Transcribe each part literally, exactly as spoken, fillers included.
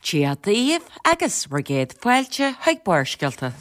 Dia daoibh agus bhur gcéad fáilte chuig Barrscéalta.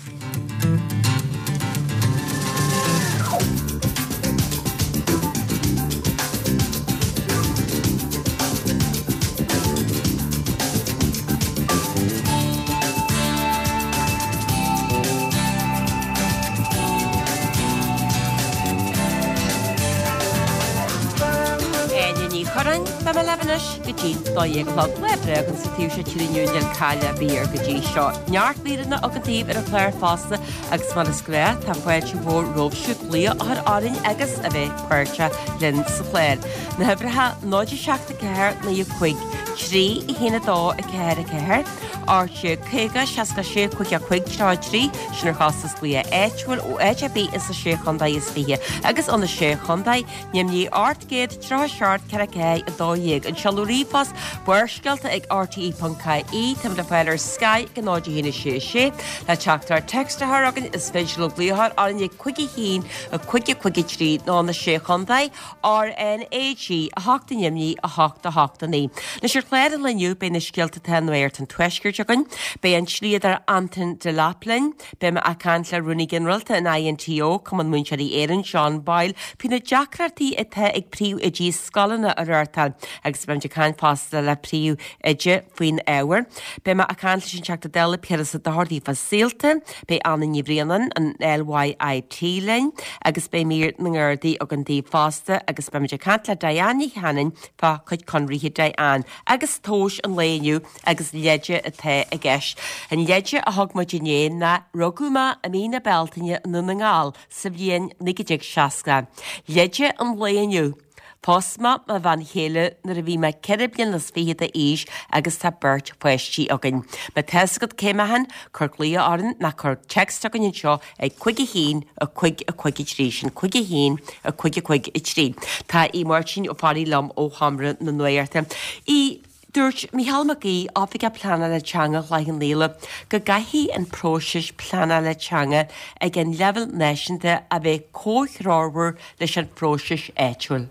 Áine Ní Churráin, beidh mé libh anois go dtí dó dhéag a chlog. Lá breá againn sa taobh seo tíre inniu níl caill ar bith air go dtí seo. Neart míreanna againn daoibh ar an chlár fosta agus mar is gnáth tá fáilte mhór romhaibhse glaoch a chur orainn agus a bheith páirteach linn sa chlár. Na huimhreacha náid a seacht a ceathair naoi a cúig, trí a haon a dó a ceathair a ceathair, ocht déag caoga seasca sé cúig a cúig tríocha a trí, sin ar chostas glaoch áitiúil ó áit ar bith ins na sé chontae is fiche agus ó na sé chontae, ainmnigh ocht gcéad tríocha seacht ceithre ceathair a dó dhéag. An seoladh ríomhphost Barrscéalta ag R T E ponc I E, táimid le fáil ar Skype ag náid a haon a sé a sé. Le teachtaireacht text a chur chugainn is féidir libh glaoch a chur orainn ag cúig a haon a cúig a cúig a trí nó na sé chontae R N A G a hocht ainmnigh a hocht a hocht a naoi. Anois ar chlár an lae inniu beidh na scéalta atá nuacht an tuaiscirt againn, beidh an dlíodóir Anton Delap linn, beidh mé ag caint le Rúnaí Ginearálta an I N T O, Cumann Múinteoirí Éireann, John Boyle, faoi na deacrachtaí atá ag príomhoidí scoileanna a reáchtáil agus beimid ag caint fosta le príomhoide faoin ábhar. Beidh mé ag caint leis an Teachta Dála Piaras Ó Dochartaigh fá Saolta, beidh Anna Ní Bhraonáin an L Y I T linn agus beidh mír na nGardaí againn daoibh fosta agus beimid ag caint le Diane Ní Chanainn fá chuid conraithe Diane agus tomhais an lae inniu agus leide atá i gceist. An leide a thug muid inné ná rugadh mé i mí na Bealtaine i nDún na nGall sa bhliain naoi déag seasca. Leide an lae inniu. Phós mé mo bhean chéile nuair a bhí mé ceithre bliana is fiche d'aois agus tá beirt pháistí againn. Má tá fhios agat cé mé féin, cuir glaoch orainn nó cuir text chugainn anseo ag cúig a haon a cúig a cúig a trí sin cúig a haon a cúig a cúig a trí. Tá Aodh Máirtín Ó Fearraigh liom ó Sheomra na Nuachta. Aodh, Dúirt Micheál Mac Aoidh, Oifigeach Pleanála Teanga Chloich Cheann Fhaola, go gcaithfidh an próiseas pleanála teanga ag an leibhéal náisiúnta a bheith comhthreomhar leis an phróiseas áitiúil.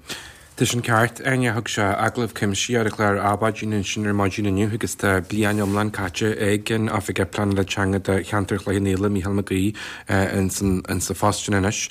Tá sin ceart, Áine. Thug sé agallamh cuimsitheach ar an chlár Adhmhaidin ansin ar maidin inniu agus tá bliain iomlán caite ag an Oifigeach Pleanála Teanga do cheantar Chloich Cheann Fhaola, Micheál Mac Aoidh, ins sa phost sin anois.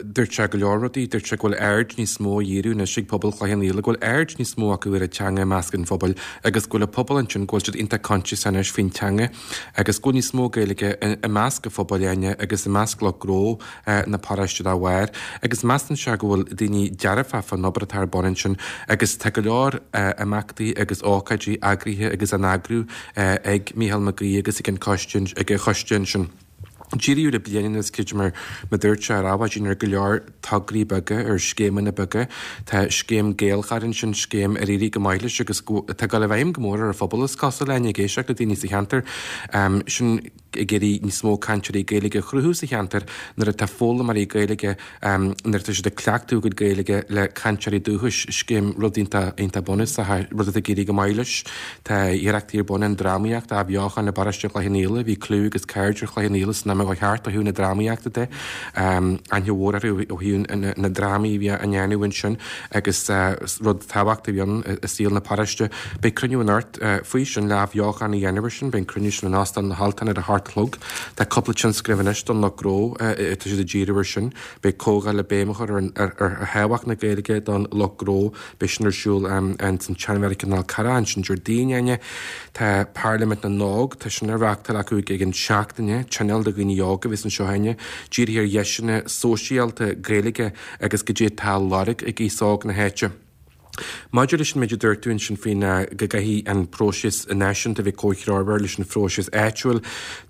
Dúirt sé go leor rudaí, dúirt sé go bhfuil aird níos mó á dhíriú anois ag pobal Chloich Cheann Fhaola, go bhfuil aird níos mó acu ar an teanga i measc an phobail agus go bhfuil an pobal ansin go bhfuil siad iontach conscious anois faoin teanga agus go bhfuil níos mó Gaeilge i measc an phobail Áine agus i measc lucht gnó na paróiste dá bharr agus measann sé go bhfuil daoine dearfach fán obair atá ar bun ansin agus tá go leor imeachtaí agus ócáidí eagraithe agus á n-eagrú ag Micheál Mac Aoidh agus ag an choiste ag an choiste ansin. Díriú le bliain anuas creidim mar mar dúirt sé ar Adhmhaidin ar go leor tograí beaga ar scéimeanna beaga. Tá scéim Gaelchar ansin, scéim ar éirigh go maith leis agus tá ag dul i bhfeidhm go mór ar an phobal is cosúil Áine ag éisteacht le daoine sa cheantar. Sin ag iarraidh níos mó cainteoirí Gaeilge a chruthú sa cheantar nuair atá foghlaimeoirí Gaeilge nuair atá siad ag cleachtadh a gcuid Gaeilge le cainteoirí dúchais, scéim rud iontach iontach bunúsach, rud atá ag éirí go maith leis. Tá iarrachtaí ar bun an drámaíocht a athbheochan i bparóiste Chloich Cheann Fhaola, bhí clú agus caird ar Chloich Cheann Fhaola san am ó cheart ó thaobh na drámaíochta de. Aithne mhór orthu ó thaobh na drámaí a bhí á ndéanamh ansin agus rud tábhachtach a bhí ann i saol na paróiste. Beidh cruinniú anocht faoi sin le athbheochan a dhéanamh air sin, beidh an cruinniú sin in Óstán na hAltan ar a hocht a chlog. Tá cúpla tionscnamh anois don lucht gnó tá siad ag díriú air sin. Beidh comhdháil le béim a chur ar ar thábhacht na Gaeilge don lucht gnó, beidh sin ar siúl ins an tSeanmheiriceá i nDál Carra ansin Déardaoin Áine. Tá Parlaimint na nÓg, tá sin á reáchtáil acu ag an seachtaine, tionól do dhaoine óga a bheas anseo Áine, dírithe ar dheiseanna sóisialta Gaeilge agus goidé atá á lorg ag aos óg na háite. Maidir leis an méid a dúirt tú ansin faoin go gcaithfidh an próiseas náisiúnta a bheith comhthreomhar leis an phróiseas áitiúil,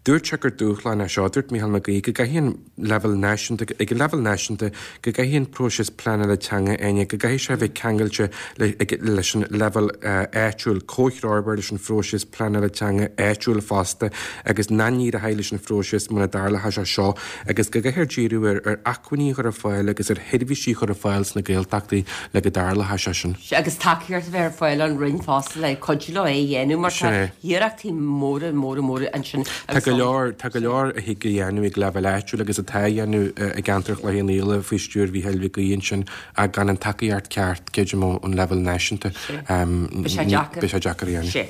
dúirt sé gur dúshlán é seo, dúirt Micheál Mac Aoidh, go gcaithfidh an leibhéal náisiúnta, ag an leibhéal náisiúnta, go gcaithfidh an próiseas pleanála teanga Áine, go gcaithfidh sé a bheith ceangailte leis an leibhéal áitiúil, comhthreomhar leis an phróiseas pleanála teanga áitiúil fosta agus nach n-éireoidh leis an phróiseas muna dtarlóidh sé seo agus go gcaithfear díriú ar ar acmhainní a chur ar fáil agus ar sheirbhísí a chur ar fáil sna Gaeltachtaí le go dtarlóidh sé sin. Agus tacaíocht a bheith ar fáil ón Roinn fosta le cuidiú leo é a dhéanamh mar tá iarrachtaí móra móra móra ansin. Tá go leor tá go leor a thig a dhéanamh ag leibhéal áitiúil agus atá á dhéanamh i gceantar Chloich Cheann Fhaola faoi stiúir Mhícheáil Mhic Aoidh ansin ach gan an tacaíocht ceart creidim ón leibhéal náisiúnta. Beidh sé deacair. Beidh sé deacair a dhéanamh. Sé.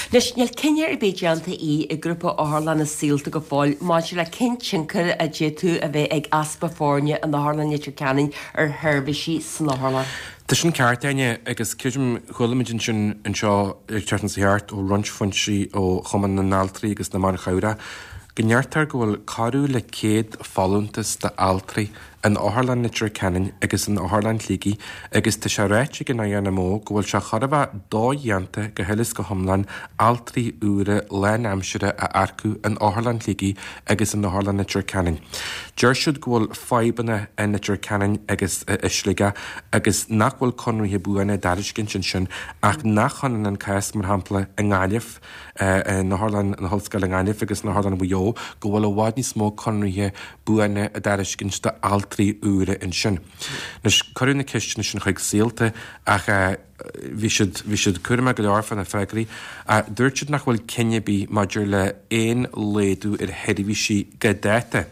Anois, níl cinneadh ar bith déanta í ag Grúpa Otharlanna Saolta go fóill maidir le cén tionchar a d'fhéadfadh a bheith ag easpa foirne in Otharlann Leitir Ceanainn ar sheirbhísí san otharlann. Tá sin ceart, Áine, agus creidim, chuala muid ansin anseo ar an tseachtain seo thart ó roinnt foinsí ó Chumann na nAltraí agus na mBan Chabhrach go ndeirtear go bhfuil corradh le céad folúntas d'altraí in Otharlann Leitir Ceanainn agus in Otharlann Shligigh agus tá sé ráite ag an INMO go bhfuil sé chóir a bheith dodhéanta go huile is go hiomlán altraí úra lánaimseartha a earcú in Otharlann Shligigh agus in Otharlann Leitir Ceanainn. Deir siad go bhfuil fadhbanna in Leitir Ceanainn agus i Sligeach agus nach bhfuil conraithe buana á dtairiscint ansin ach nach hionann an cás, mar shampla, i nGaillimh, in Otharlann na hOllscoile i nGaillimh agus in Otharlann Mhaigh Eo go bhfuil i bhfad níos mó conraithe buana á dtairiscint d'altraí úra ansin. Anois, cuireadh na ceisteanna sin chuig Saolta ach bhí siad, bhí siad cúramach go leor fá na freagraí. Dúirt siad nach bhfuil cinneadh ar bith maidir le aon laghdú ar sheirbhísí go dáta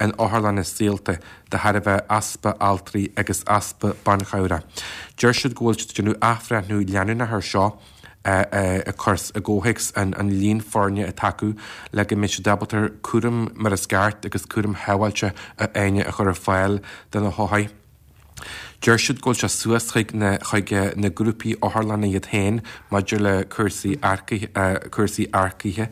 in otharlanna Saolta de thairbhe easpa altraí agus easpa ban chabhrach. Deir siad go bhfuil siad ag déanamh athbhreithniú leanúnach air seo ag cur i gcomhthéacs an líon foirne atá acu le go mbeidh siad ábalta cúram mar is ceart agus cúram shábháilte a Áine a chur ar fáil do na hothair. Deir siad go bhfuil sé suas chuig na chuig na grúpaí otharlanna iad féin maidir le cúrsaí earcaithe cúrsaí earcaithe.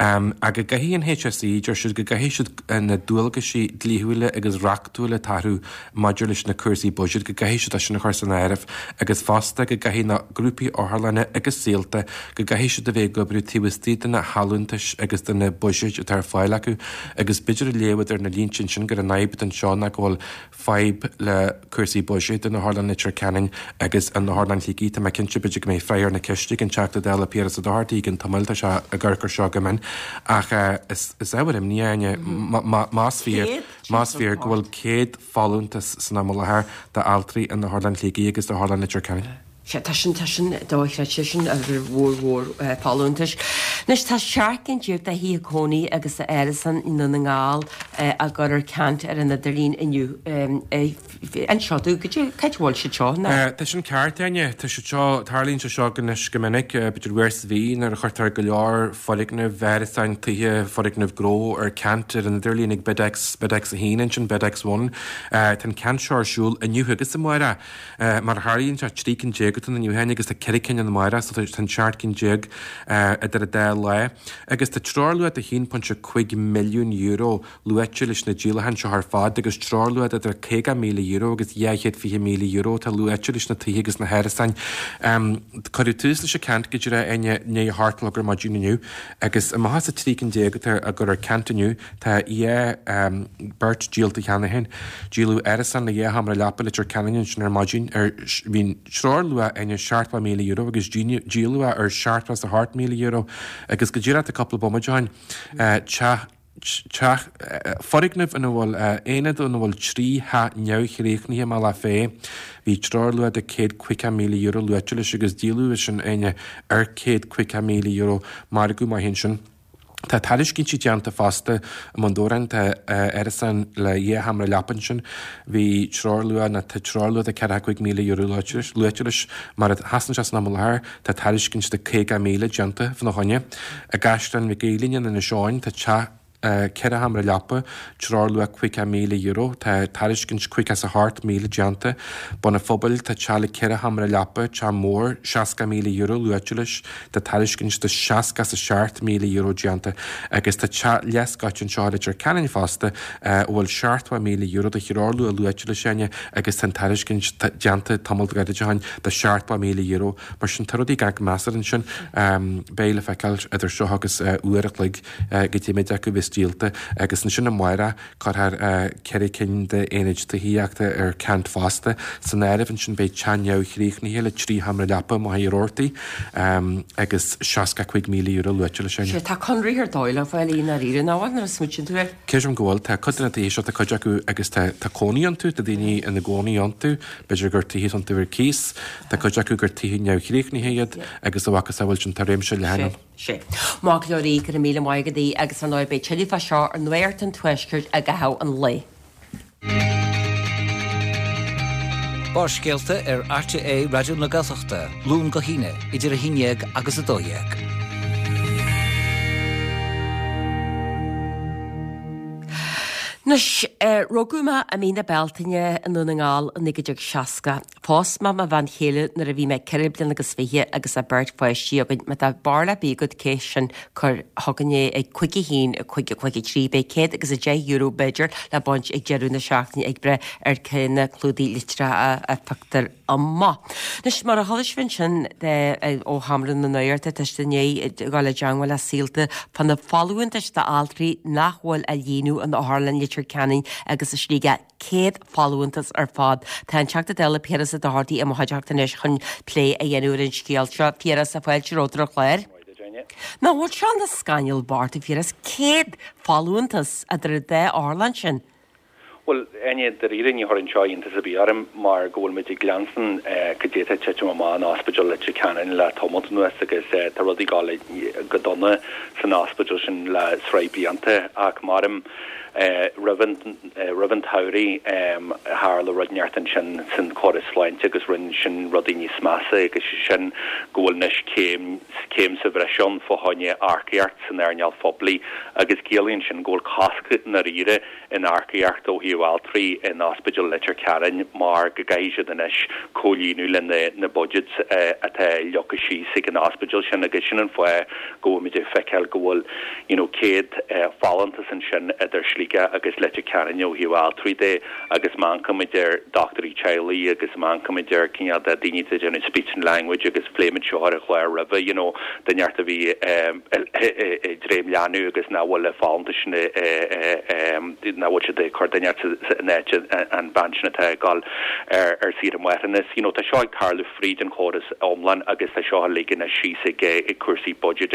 Ach go gcaithfidh an HSE, deir siad go gcaithfidh siad na dualgaisí dlíthiúla agus reachtúla atá orthu maidir leis na cúrsaí buiséid, go gcaithfidh siad é sin a chur san áireamh agus fosta go gcaithfidh na grúpaí otharlanna agus Saolta, go gcaithfidh siad a bheith ag oibriú taobh istigh de na halúntais agus de na buiséid atá ar fáil acu agus b'fhéidir a léamh idir na línte ansin gur an fhadhb atá anseo ná go bhfuil fadhb le cúrsaí buiséid in Otharlann Leitir Ceanainn agus in Otharlann Shligigh. Tá mé cinnte b'fhéidir go mbeidh freagra ar na ceiste ag an Teachta Dála Piaras Ó Dochartaigh i gceann tamaill, tá sé ag amharc air seo go mion. Ach is ábhar imní é, Áine, más fíor, más fíor go bhfuil céad folúntas san am i láthair d'altraí in Otharlann Shligigh agus d'Otharlann Leitir Ceanainn. Sea, tá sin, tá sin dochreidte, sin uimhir mhór mhór folúntais. Anois, tá seacht gcinn déag de thithe cónaí agus árasáin i nDún na nGall á gcur ar ceant ar an idirlíon inniu. Inis domh, goidé, cá háit a bhfuil siad seo, ná? Tá sin ceart, Áine. Tá siad seo, tarlaíonn sé seo anois go minic, b'fhéidir uair sa mhí, nuair a chuirtear go leor foirgneamh, árasáin, tithe, foirgneamh gnó ar ceant ar an idirlíon ag BidX, BidX a haon ansin, BidX One. Tá an ceant seo ar siúl inniu agus amárach. Mar a tharlaíonn sé, trí cinn déag atá ann inniu féin agus tá ceithre cinn ann amárach, so tá an seacht gcinn déag idir an dá lá. Agus tá treoirluach de haon pointe cúig milliún euro luaite leis na díolacháin seo ar fad agus treoirluach de idir caoga míle euro agus dhá chéad fiche míle euro atá luaite leis na tithe agus na hárasáin. Cuireadh tús leis an ceant go díreach i ndiaidh a hocht a chlog ar maidin inniu agus amach as an trí cinn déag atá á gcur ar ceant inniu, tá dhá beart díolta cheana féin. Díoladh árasán le dhá sheomra leapa i Leitir Ceanainn ansin ar maidin ar bhí an treoirluach Áine seachtó míle euro agus díoladh é ar seachtó is a hocht míle euro agus go díreach tá cúpla bomaite ó shin teach teach foirgneamh ina bhfuil aonad ina bhfuil trí theach neamhchríochnaithe i mBealach Féich. Bhí treoirluach de céad caoga míle euro luaite leis agus díoladh é sin Áine ar céad caoga míle euro. Margadh maith ansin. Tá tairiscintí déanta fosta i mBun Dobhráin, tá árasán le dhá sheomra leapa ansin. Bhí treoirluach, nó tá treoirluach de ceathracha cúig míle euro luaite leis. Mar a sheasann sé san am i láthair, tá tairiscint de caoga míle déanta fána choinne. I gCaisleán Mhic Aoibhlinn in Inis Eoghain, tá teach ceithre sheomra leapa, treoirluach caoga míle euro, tá tairiscint caoga is a hocht míle déanta. Bun an Phobail, tá teach le ceithre sheomra leapa, teach mór, seasca míle euro luaite leis. Tá tairiscint de seasca is a seacht míle euro déanta agus tá teach leathscoite anseo i Leitir Ceanainn fosta a bhfuil seachtó míle euro de threoirluach luaite leis Áine agus tá an tairiscint déanta tamall gairid ó shin de seachtó míle euro. Mar sin tá rudaí ag measartha ansin. Beidh le feiceáil idir seo agus uair a chloig goidé méid acu a bheas díolta agus ansin amárach cuirfear ceithre cinn d'aonaid tithíochta ar ceant fosta. San áireamh ansin beidh teach neamhchríochnaithe le trí sheomra leapa i Machaire Rabhartaigh agus seasca cúig míle euro luaite leis sin. Sea, tá conradh ar dóigh le fáil i ndáiríre, nach bhfuil, nuair a smaoitíonn tú air? Creidim go bhfuil. Tá cuid de na tithe seo, tá cuid acu agus tá tá cónaí iontu, tá daoine ina gcónaí iontu, b'fhéidir gur tithe atá iontu ar cíos, tá cuid acu gur tithe neamhchríochnaithe iad agus a mhacasamhail sin, tá réimse leathan ann. Sea. Maith go leor a Aoidh, go raibh míle maith agat agus ar ndóigh beidh tuilleadh fá seo ar Nuacht an Tuaiscirt i gcaitheamh an lae. Barrscéalta ar RTÉ Raidió na Gaeltachta, Luan go hAoine, idir a haon dhéag agus a dó dhéag. Anois, rugadh mé i mí na Bealtaine i nDún na nGall i naoi déag seasca. Phós mé mo bhean chéile nuair a bhí mé ceithre bliana agus fiche agus tá beirt pháistí againn. Má tá barúil ar bith agat cé sin cuir chugainn é ag cúig a haon a cúig a cúig a trí. Beidh céad agus a deich euro b'fhéidir le baint ag deireadh na seachtaine ag breith ar cé na clúdaigh litreacha a phioctar amach. Anois mar a chuala sibh ansin ó Sheomra na Nuachta tá siad i ndiaidh dul i dteagmháil le Saolta fá na folúntais d'altraí nach bhfuil á líonadh in Otharlann Leitir Ceanainn agus i Sligeach céad folúntas ar fad. Tá an Teachta Dála Piaras Ó Dochartaigh i mo chuideachta anois chun plé a dhéanamh ar an scéal seo. Piaras fáilte romhat ar an chlár. Nach bhfuil seo ina scannal bocht a Phiarais céad folúntas idir an dá otharlann sin. Bhuel, Áine, dáiríre ní chuireann seo iontas ar bith orm mar go bhfuil muid ag leanstan cad é atá ag titim amach in Ospidéal Leitir Ceanainn le tamalt anuas agus tá rudaí ag dul go dona san ospidéal sin le sraith blianta ach maram roimh an roimh an tsamhraidh tharla rud inteacht ansin san córas sláinte agus rinne sin rudaí níos measa agus sé sin go bhfuil anois céim céim sa bhreis ann fá choinne earcaíocht san earnáil phoiblí agus ciallaíonn sin go bhfuil cosc dáiríre in earcaíocht ó thaobh altraí in Ospidéal Leitir Ceanainn mar go gcaithfidh siad anois comhlíonadh le na na budgets atá leagtha síos ag an ospidéal sin agus sin an fáth go bhfuil muid ag feiceáil go bhfuil you know céad folúntas ansin idir Sligeach agus Leitir Ceanainn ó thaobh altraí de agus má amharcaimid ar dochtúirí teaghlaigh agus má amharcaimid ar cineál de daoine atá ag déanamh speech and language agus phléimid seo ar an chlár roimhe you know duine a bhí ag dréim leanbh agus nach bhfuil le folúntais sin nach bhfuil siad ag cur duine in áit an bhean sin atá ag dul ar ar saoire máithreachais. You know, tá seo ag tarlú fríd an chóras iomlán agus tá seo leagtha síos ag ag cúrsaí budget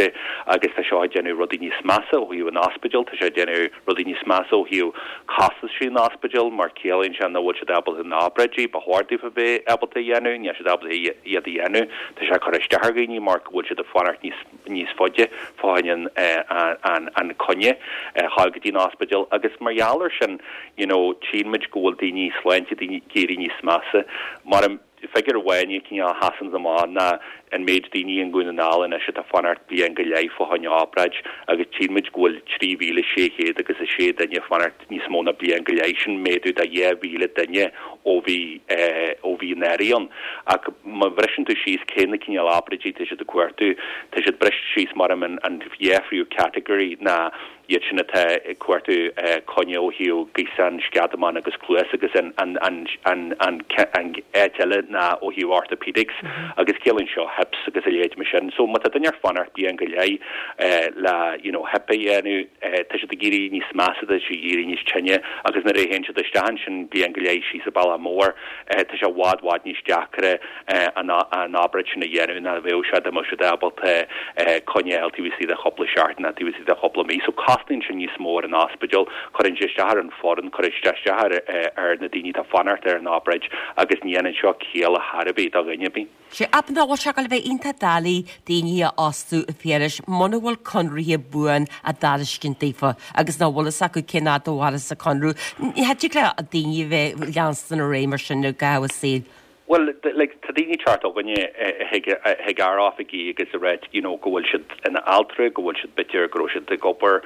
agus tá seo ag déanamh rudaí níos measa ó thaobh an ospidéal, tá sé ag déanamh rudaí níos measa ó thaobh costaisí an ospidéal mar ciallaíonn sé nach bhfuil siad ábalta na obráidí ba chóir daofa bheith ábalta a dhéanamh, níl siad ábalta iad a dhéanamh, tá sé ag cur isteach ar dhaoine mar go bhfuil siad ag fanacht níos níos faide fá choinne an an an coinne a fháil go dtí an ospidéal agus mar gheall air sin you know, tchíonn muid go bhfuil daoine sláinte daoine ag éirí níos measa mar an figiúr amháin cineál a sheasann amach ná an méid daoine i nDún na nGall anois atá fanacht bliain go leith fá choinne obráid agus tchíonn muid go bhfuil trí mhíle sé chéad agus a sé duine fanacht níos mó ná bliain go leith sin méadú de dhá mhíle duine ó bhí ó bhí an earrach ann ach má bhriseann tú síos cé na cineál obráidí tá siad ag cuartú tá siad briste síos mar an an dhá phríomh category ná iad sin atá ag cuartú coinne ó thaobh gaosán sceadamán agus cluas agus an an an an an an áit eile ná ó thaobh orthopedics agus ciallaíonn seo hips agus a leithéid mar sin. So má tá duine ar fanacht bliain go leith le you know, hip a dhéanamh tá siad ag éirí níos measa tá siad ag éirí níos tinne agus nuair a théann siad isteach ansin bliain go leith síos sa Bhealach Mór tá sé i bhfad bhfad níos deacra an an obráid sin a dhéanamh ná bheadh sé dá mbeadh siad ábalta coinne a fháil taobh istigh de chúpla seachtain ná taobh istigh de chúpla mí. So cosnaíonn sin níos mó ar an ospidéal, cuireann sé isteach ar an foireann, cuireann sé isteach ar ar na daoine atá fanacht ar an obráid agus ní dhéanann seo ciall ar bith do dhuine ar bith. Sé ab nach bhfuil sé le bheith iontach doiligh daoine a fhostú a Phiarais muna bhfuil conarthaí buan á dtairiscint daofa agus nach bhfuil fhios acu cén fhad a mhairfeas an conradh. Ní hé le daoine bheith leanstan ar aghaidh mar sin i gcaitheamh a saoil. Well, like, tá daoine teacht chugainne chuig ár oifigí agus a rá you know, go bhfuil siad ina altra, go bhfuil siad b'fhéidir go raibh siad ag obair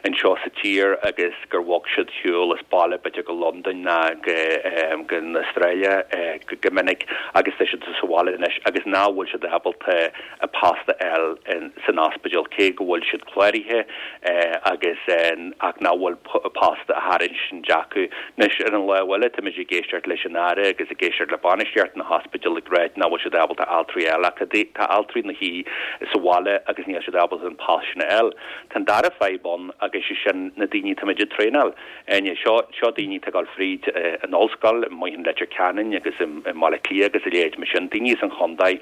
anseo sa tír agus gur bhog siad siúl as baile b'fhéidir go Londain ná go um, go Australia uh, go, go minic agus tá siad sa bhaile anois agus ná bhfuil siad ábalta a post a fháil san ospidéal cé go bhfuil siad cláraithe uh, agus uh, ach ná bhfuil post á thairiscint acu. Anois ar an lámh eile tá muid ag éisteacht leis an Aire agus ag éisteacht le bainistíocht na hospidéal ag rá nach bhfuil siad ábalta altraí eile ach tá altraí ina suí sa bhaile agus níl siad ábalta an post sin a fháil. Tá an dara fadhb ann agus sé sin na daoine tá muid ag traenáil. Enne seo seo daoine atá ag dul fríd an ollscoil i Leitir Ceanainn agus i mBaile Átha Cliath agus a leithéid mar sin daoine as an chontae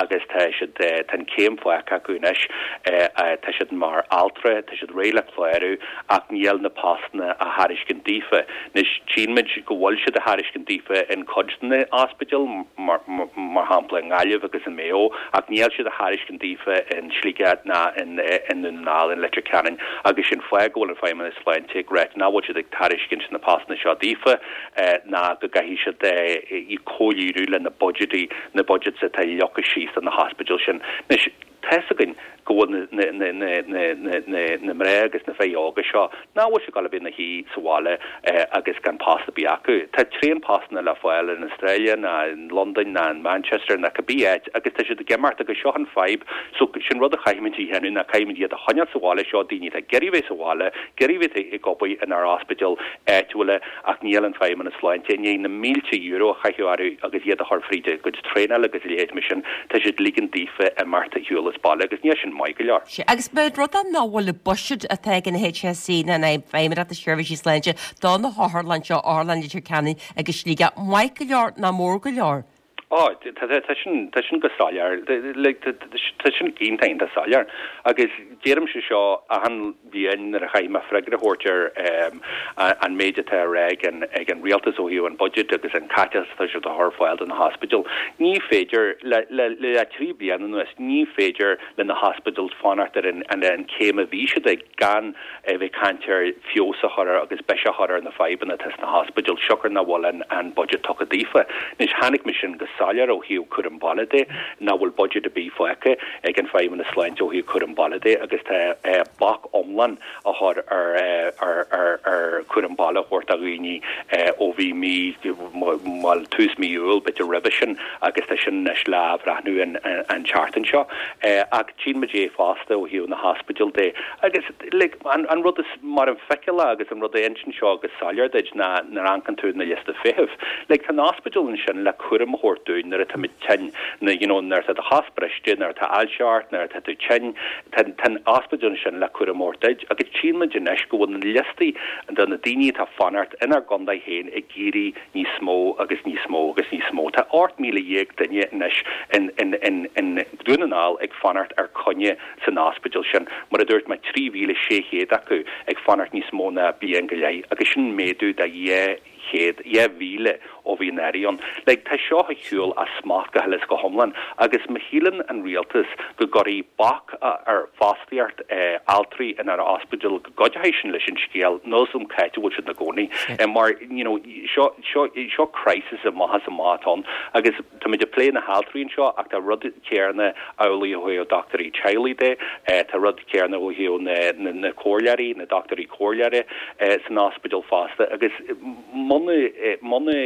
agus tá siad tá an céim faighte acu anois tá siad mar altra, tá siad réidh le clárú ach níl na postanna á thairiscint daofa. Anois tchíonn muid go bhfuil siad á thairiscint daofa in cuid na ospidéal mar, mar shampla i nGaillimh agus in Maigh Eo ach níl siad á thairiscint daofa in Sligeach ná in in Dún na nGall in Leitir Ceanainn agus sin fáth go bhfuil an Feidhmeannas Sláinte ag rá nach bhfuil siad ag tairiscint na postanna seo daofa ná go gcaithfidh siad comhlíonadh le na budgetí na budgets atá leagtha síos na hospidéal sin. Anois Tá's againn go bhfuil na na na na na na na mná agus na fir óga seo nach bhfuil siad ag gabháil a bheith ina shuí sa bhaile agus gan post ar bith acu. Tá tréan-phostanna le fáil in Australia ná in Londain ná in Manchester ná cibé áit agus tá siad ag imeacht agus seo an fadhb. So sin rud a chaithfimid a dhéanamh ná caithfimid iad a choinneáil sa bhaile seo daoine atá ag iarraidh bheith sa bhaile, ag iarraidh bheith ag obair inár ospidéil áitiúla ach níl an Feidhmeannas Sláinte i ndiaidh na mílte euro a chaitheamh orthu agus iad a chur fríd a gcuid traenála agus a leithéid mar sin, tá siad ag ligean daofa imeacht ar shiúl as baile agus níl sin maith go leor. Sea, agus an rud é nach bhfuil an buiséad atá ag an HSE ná an Feidhmeannacht na Seirbhísí Sláinte do na hotharlanna seo, Otharlann Leitir Ceanainn agus Sligeach, maith go leor ná mór go leor? Á, tá sin, tá sin go soiléir, like, tá sin iontach, iontach soiléir. Agus deirimse seo achan bhliain nuair a chaithfidh mé freagra a thabhairt ar an méid atá á rá ag an, ag an rialtas ó thaobh an budget agus an caiteachas atá siad a chur ar fáil do na hospidéil. Ní féidir, le, le, le trí bliana anuas, ní féidir le na hospidéil fanacht ar an, an, an céim a bhí siad ag gan a bheith ag caint ar feabhas a chur ar agus biseach a chur ar na fadhbanna atá sna hospidéil siocair nach bhfuil an, an budget tugtha daofa. Anois chonaic mé sin go soiléir ó thaobh cúram baile de, nach bhfuil budget ar bith fágtha ag an Feidhmeannas Sláinte ó thaobh cúram baile de agus tá bac iomlán á chur ar ar ar ar cúram baile a thabhairt do dhaoine ó bhí mí, bhuel tús mí Iúil b'fhéidir roimhe sin agus tá sin anois le athbhreathnú an an tseachtain seo. Ach tchíonn muid é fosta ó thaobh na hospidéal de agus like an an rud is mar an feiceálach agus an rud a insíonn seo go soiléir duit ná nuair a amharcann tú na liosta feithimh. Like tá an ospidéal ansin le cúram a thabhairt dúinn nuair atá muid tinn, na you know nuair atá do chos briste, nuair atá ailse ort, nuair atá tú tinn, tá tá an ospidéal ansin le cúram a thabhairt duit agus tchíonn muid anois go bhfuil na liostaí de na daoine atá ag fanacht inár gcontae féin ag éirí níos mó agus níos mó agus níos mó. Tá ocht míle dhéag duine anois in in in in Dún na nGall ag fanacht ar coinne san ospidéal sin, mar a dúirt mé trí mhíle sé chéad acu ag fanacht níos mó ná bliain go leith agus sin méadú de dhá chéad, dhá mhíle ó bhí an Aire ann. Like, tá seo ar shiúl as smacht go huile is go hiomlán agus má shíleann an rialtas go gcuirfidh bac ar fostaíocht altraí inár ospidéal go gcuideoidh sin leis an scéal, níl a fhios agam cá háit a bhfuil siad ina gcónaí mar, you know, seo, seo, seo crisis amach is amach atá ann agus táimid ag plé na haltraí anseo ach tá rud céanna amhlaidh ó thaobh dochtúirí teaghlaigh de, tá rud céanna ó thaobh na, na, na comhairleoirí, na dochtúirí comhairleoirí san ospidéal fosta agus muna, muna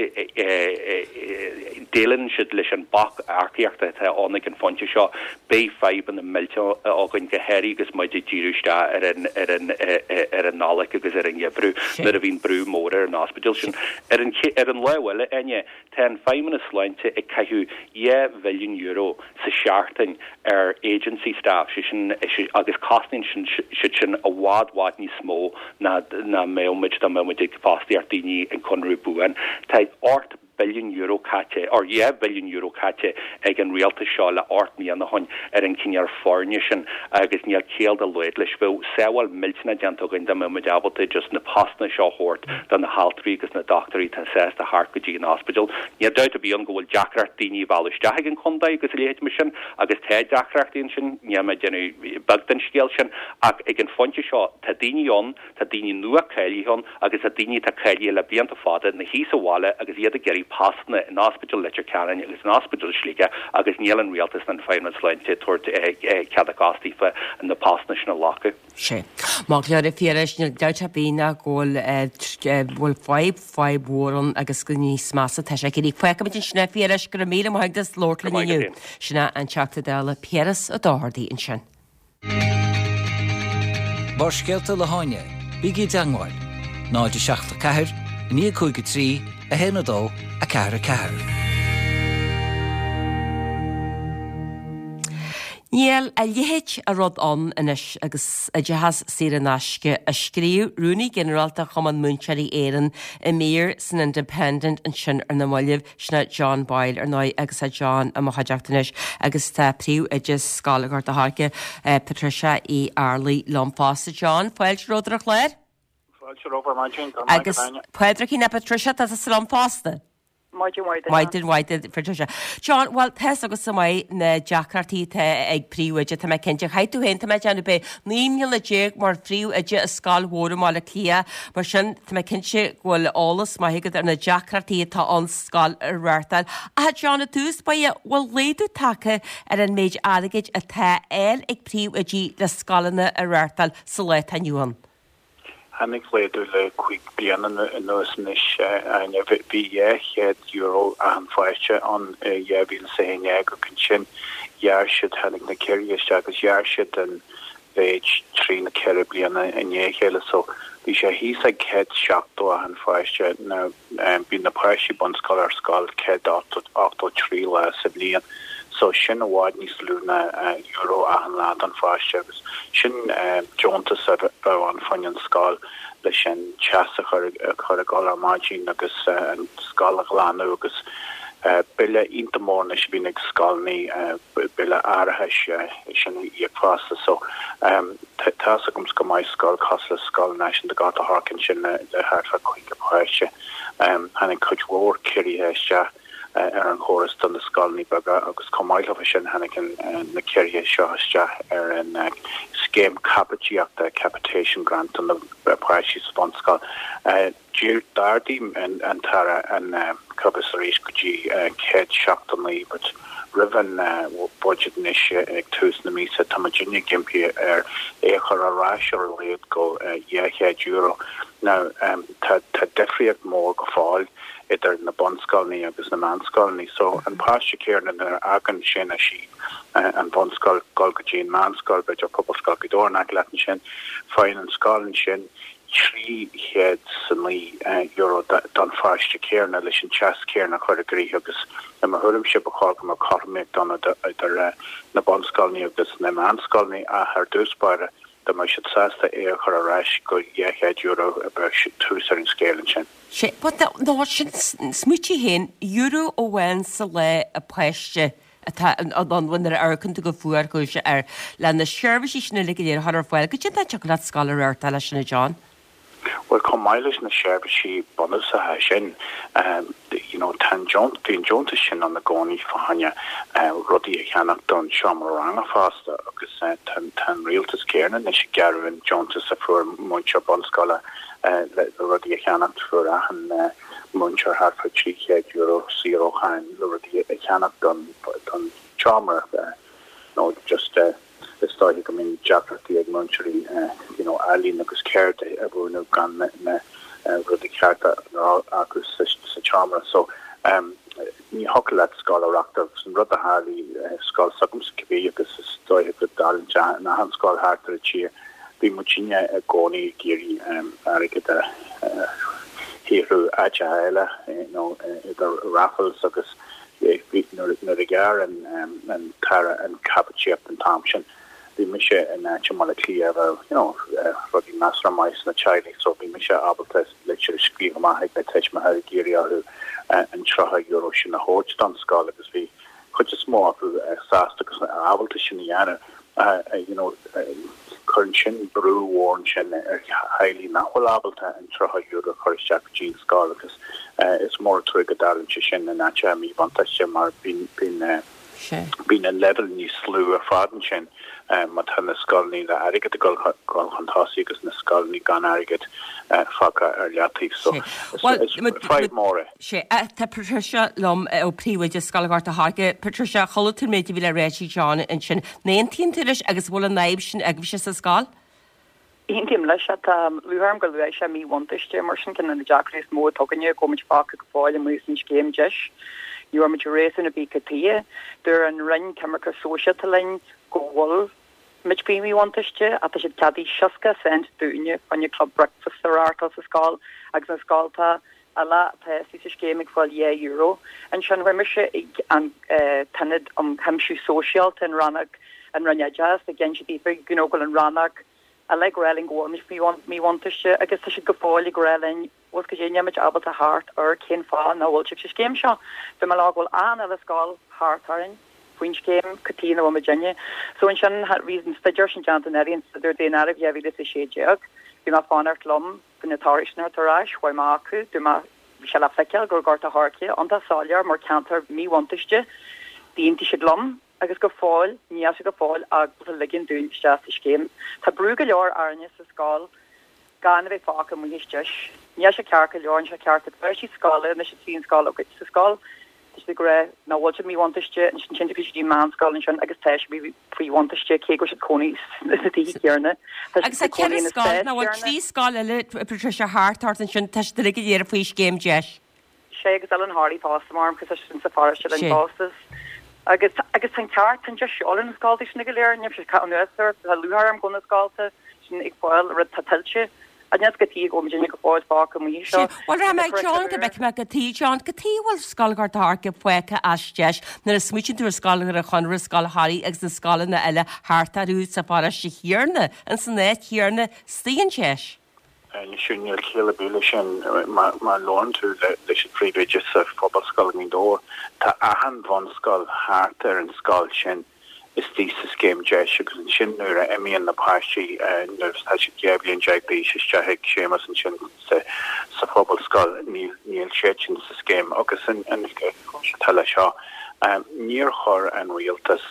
déileálann siad leis an bac earcaíochta atá ann ag an phointe seo, beidh fadhbanna millteacha againn, go háirithe agus muid ag díriú isteach ar an, ar an, ar an Nollaig agus ar an ngeimhreadh nuair a bhíonn brú mór ar an ospidéal sin. Ar an, ar an lámh eile, Áine, tá an Feidhmeannas Sláinte ag caitheamh dhá mhilliún euro sa seachtain ar agency staff, sé sin, agus cosnaíonn siad sin i bhfad, bhfad níos mó ná ná mbeadh muid dá mbeadh muid ag fostaíocht daoine ag conradh buan. Tá ocht billiún euro caite, or dhá bhilliún euro caite ag an rialtas seo le ocht mbliana ó shin ar an chineál foirne sin agus níl ciall dá laghad leis. Bheadh sábháil millteanach déanta againn dá mbeadh muid ábalta just na postanna seo a thabhairt do na haltraí agus na dochtúirí atá sásta theacht go dtí an ospidéal. Níl dabht ar bith ann go bhfuil deacracht daoine a mhealladh isteach ag an chontae agus a leithéid mar sin agus tá deacrachtaí ansin, níl mé ag déanamh beag den scéal sin ach ag an phointe seo tá daoine ann, tá daoine nua cáilithe ann agus tá daoine atá cáilithe le blianta fada ina shuí sa bhaile agus iad ag iarraidh postanna in Ospidéal Leitir Ceanainn agus in Ospidéal Shligigh agus níl an Rialtas ná an Feidhmeannas Sláinte ag tabhairt cead a gcos daofa na postanna sin a ghlacadh. Sea. Maith go leor a Phiarais, níl dabht ar bith ná go bhfuil bhfuil fadhb, fadhb mhór ann agus go níos measa atá sé ag éirí. Fágfaimid ansin é a Phiarais, go raibh míle maith agat as labhairt linn inniu. Sin é an Teachta Dála Piaras Ó Dochartaigh ansin. Barrscéalta le hÁine, bígí i dteangmháil, náid a seacht a ceathair, a naoi a cúig a trí, a haon a dó, a ceathair a ceathair. Níl a leithéid de rud ann anois agus oideachas saor in aisce, a scríobh Rúnaí Ginearálta Chumann Múinteoirí Éireann i mír san Independent ansin ar na mallaibh. Sin é John Boyle, ar ndóigh, agus tá John i mo chuideachta anois agus tá príomhoide Scoil Ghort a' Choirce, Patricia Uí Fhearlaigh liom fosta. John, fáilte romhat ar an chlár. Fáilte romhat ar maidin, go raibh maith Agus agat Áine. Pádraigín, a Patricia, tá tusa liom fosta. Maidin mhaith duit. Maidin mhaith duit, Patricia. John, bhuel, tá's agatsa maith na deacrachtaí atá ag príomhoide, tá mé cinnte. Chaith tú féin, tá mé ag déanamh, b'é naoi mbliana déag mar phríomhoide i scoil mhór i mBaile Átha Cliath, mar sin tá mé cinnte go bhfuil eolas maith agat ar na deacrachtaí atá ann scoil a reáchtáil. Ach John, i dtús báire, bhfuil laghdú tagtha ar an méid airgid atá á fháil ag príomhoidí le scoileanna a reáchtáil sa lá atá inniu ann? Tháinig laghdú le cúig bliana anuas anois, Áine. Bhí dhá chéad euro achan pháiste ann i dhá mhíle is a haon déag ach ansin ghearr siad, tháinig na ciorruithe isteach agus ghearr siad an mhéid trí nó ceithre bliana i ndiaidh a chéile. So bhí sé thíos ag céad seachtó achan pháiste. Now bíonn na páistí bunscoile ar scoil céad ochtó trí lá sa bhliain. So sin i bhfad níos lú ná euro achan lá don pháiste agus sin deontas a bheadh ann fá choinne an scoil leis an teas a chur a chur ag dul ar maidin agus an scoil a ghlanadh agus bille iontach mór anois a bhíonn ag scoileanna, bille árachais sin a íoc fosta. So tá's agamsa go maith scoil cosúil le Scoil Náisiúnta Ghort a' Choirce ansin le thart fá caoga páiste. Tháinig cuid mhór ciorruithe isteach. ar an chóras do na scoileanna beaga agus chomh maith leo sin tháinig na ciorruithe seo isteach ar an scéim caipitíochta, capitation grant, do na páistí sa bhunscoil. D'ardaigh an tAire an costas arís go dtí céad seachtó naoi but roimh an budget anois ag tús na míosa tá muidinne ag impí air é a chur ar ais ar a laghad go dhá chéad euro. Now tá difríocht mhór go fóill idir na bunscoileanna agus na meánscoileanna. So an páiste céanna nuair a fhágann sé nó sí an bhunscoil dul go dtí an meánscoil, b'fhéidir Pobalscoil Ghaoth Dobhair in aice leat ansin, faigheann an scoil ansin trí chéad 's a naoi euro don pháiste céanna leis an teas céanna a chur i gcrích agus i mo thuairimse ba chóir go mbeadh cothromaíocht ann idir na bunscoileanna agus na meánscoileanna ach ar dtús báire dá mbeadh siad sásta é a chur ar ais go dhá chéad euro bheadh tús ar an scéal ansin. Sea, but nó sin, smaoitigh féin, euro amháin sa lá an páiste atá ann nuair a amharcann tú go fuarchúiseach air, le na seirbhísí sin uilig go léir a chur ar fáil, goidé mar a thiocfadh leat scoil a reáchtáil leis sin a John? Bhuel, chomh maith leis na seirbhísí bunúsacha sin, you know, tá an deont, bhí an deontas sin ann i gcónaí fá choinne rudaí a cheannach don seomra ranga fosta agus tá tá an rialtas céanna anois ag gearradh an deontas a fuair múinteoir bunscoile le rudaí a cheannacht, fuair achan múinteoir thart fá trí chéad euro saor ó cháin le rudaí a cheannach don don tseomra nó just Is dóiche go mbíonn deacrachtaí ag múinteoirí you know ealaín agus ceird a mhúineadh gan na rudaí cearta acu sa tseomra. So ní thiocfadh leat scoil a reáchtáil. An rud a tharla i scoil s'agamsa cibé agus is dóiche go dtarlaíonn sé in achan scoil thart ar an tír, bhí muidinne i gcónaí ag iarraidh airgead a shaothrú áiteacha eile you know idir raffles agus Nuair a ghearr an tAire an chaipitíocht an t-am sin, bhí mise in áit i mBaile Átha Cliath a raibh, you know, rudaí measartha maith sna teaghlaigh so bhí mise ábalta litir a scríobh amach ag na tuismitheoirí ag iarraidh orthu an tríocha euro sin a thabhairt don scoil agus bhí chuid is mó acu sásta agus ábalta sin a dhéanamh. You know, cuireann sin brú mhór ansin ar theaghlaigh nach bhfuil ábalta an tríocha euro a chur isteach go dtí an scoil agus is mór an trua go dtarlaíonn sé sin in áiteacha míbhuntáiste mar bíonn bíonn bíonn an leibhéal níos lú ar fad ansin má tá na scoileanna le airgead ag dul chun tosaigh agus na scoileanna gan airgead fágtha ar leataobh. So is fadhb mhór é. Sea, tá Patricia liom ó Príomhoide Scoil Ghort a' Choirce. Patricia, chuala tú an méid a bhí le rá ag John ansin. An aontaíonn tú leis agus an bhfuil an fhadhb sin agaibhse sa scoil? Aontaím leis. Tá lúcháir orm gur luaigh sé míbhuntáiste mar sin ceann de na deacrachtaí is mó atá againne go bhfuil muid fágtha go fóill amuigh as an scéim DEIS. Ní bhfuair muid réasún ar bith cad tuighe. Dúirt an Roinn Coimirce Sóisialta linn go bhfuil muid faoi mhíbhuntáiste ach tá siad ceadaithe seasca cent dúinne fá choinne club breakfast a reáchtáil sa scoil agus na scoltacha eile atá istigh sa scéim ag fáil dhá euro. Ansin chuaigh mise ag an tIonad um Chuimsiú Sóisialta in rannóg an Roinn Oideachais ag inse daofa you know go bhfuil an rannóg eile ag rá linn go bhfuil muid faoi mhíbhuntáiste agus tá siad go fóill ag rá linn bhfuil cad é níl muid ábalta theacht ar cén fáth nach bhfuil sibh sa scéim seo. Dúirt mé leo go bhfuil achan uile scoil thart orainn faoin scéim, cad tuighe nach bhfuil muidinne. So ansin bhí an staidéar sin déanta anuraidh, an staidéar daonáirimh dhá mhíle is a sé déag. Bhí mé ag fanacht liom do na torthaí sin a theacht ar ais, chuaigh mé chucu, dúirt mé bhí sé le feiceáil go raibh Gort a' Choirce iontach soiléir mar ceantar míbhuntáiste, d'aontaigh siad liom agus go fóill níl siad go fóill ábalta ligean dúinn isteach sa scéim. Tá brú go leor orainne sa scoil gan a bheith fágtha amuigh as deis. Níl sé ceart go leor, níl sé ceart. Tá páistí scoile anois a trí an scoil sa scoil, tá siad ag rá nach bhfuil siad míbhuntáiste, ansin téann siad go dtí meánscoil ansin agus tá siad faoi bhuntáiste cé go bhfuil siad cónaí sna tithe céanna. Tá Agus siad tá ag cónaí ceithre ina scoil, spás nó bhfuil céanna. trí scoil eile, Patricia, thart ort ansin, tá siad uilig go léir faoi scéim deis. Sé agus Oileán Thoraí fosta mar cos sin sa pharóiste linn Sé. fosta. Agus agus tá an ceart tá deis eola na scoltaí sin go léir, níl sé ca anuas ar tá lúcháir orm go bhfuil na scolta sin ag fáil rud tá tuillte. A níos go tí go bhfuil go fóill fágtha amuigh Sé, seo. bhuel rachaidh mé Tá ag John go curriculum bhfeicfidh mé cad chuige John, cad chuige a bhfuil Scoil Ghort a' Choirce fágtha as deis nuair a smaoitíonn tú ar Scoil Dhoire Chonaire, Scoil Thoraí agus na scoileanna eile thart orthu sa pharóiste chéanna, in san áit chéanna, istigh in deis. Anois níl ciall ar bith leis sin má labhrann tú leis an phríomhoide sa Phobalscoil i nGaoth Dobhair, tá achan bhunscoil thart ar an scoil sin istigh sa scéim deis agus ansin nuair a imíonn na páistí nuair atá siad dhá bhliain déag d'aois isteach ag Séamus ansin sa sa phobalscoil níl níl siad sin sa scéim agus an an chúis atá leis seo níor chuir an rialtas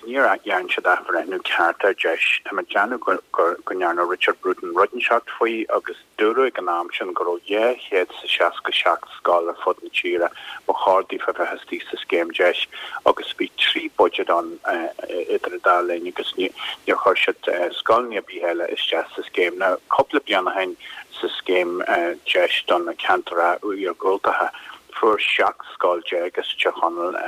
níor dhein siad athbhreithniú ceart ar deis. Tá mé ag déanamh go go ndearna Richard Bruton rud inteacht faoi agus dúradh ag an am sin go raibh dhá chéad is seasca seacht scoil ar fud na tíre ba chóir daofa bheith istigh sa scéim deis agus bhí trí budget ann idir an dá linn agus níor chuir siad scoileanna ar bith eile isteach sa scéim. Now cúpla bliain ó shin sa scéim deis don na ceantair iargúltacha fuair seacht scoil déag as Tír Chonaill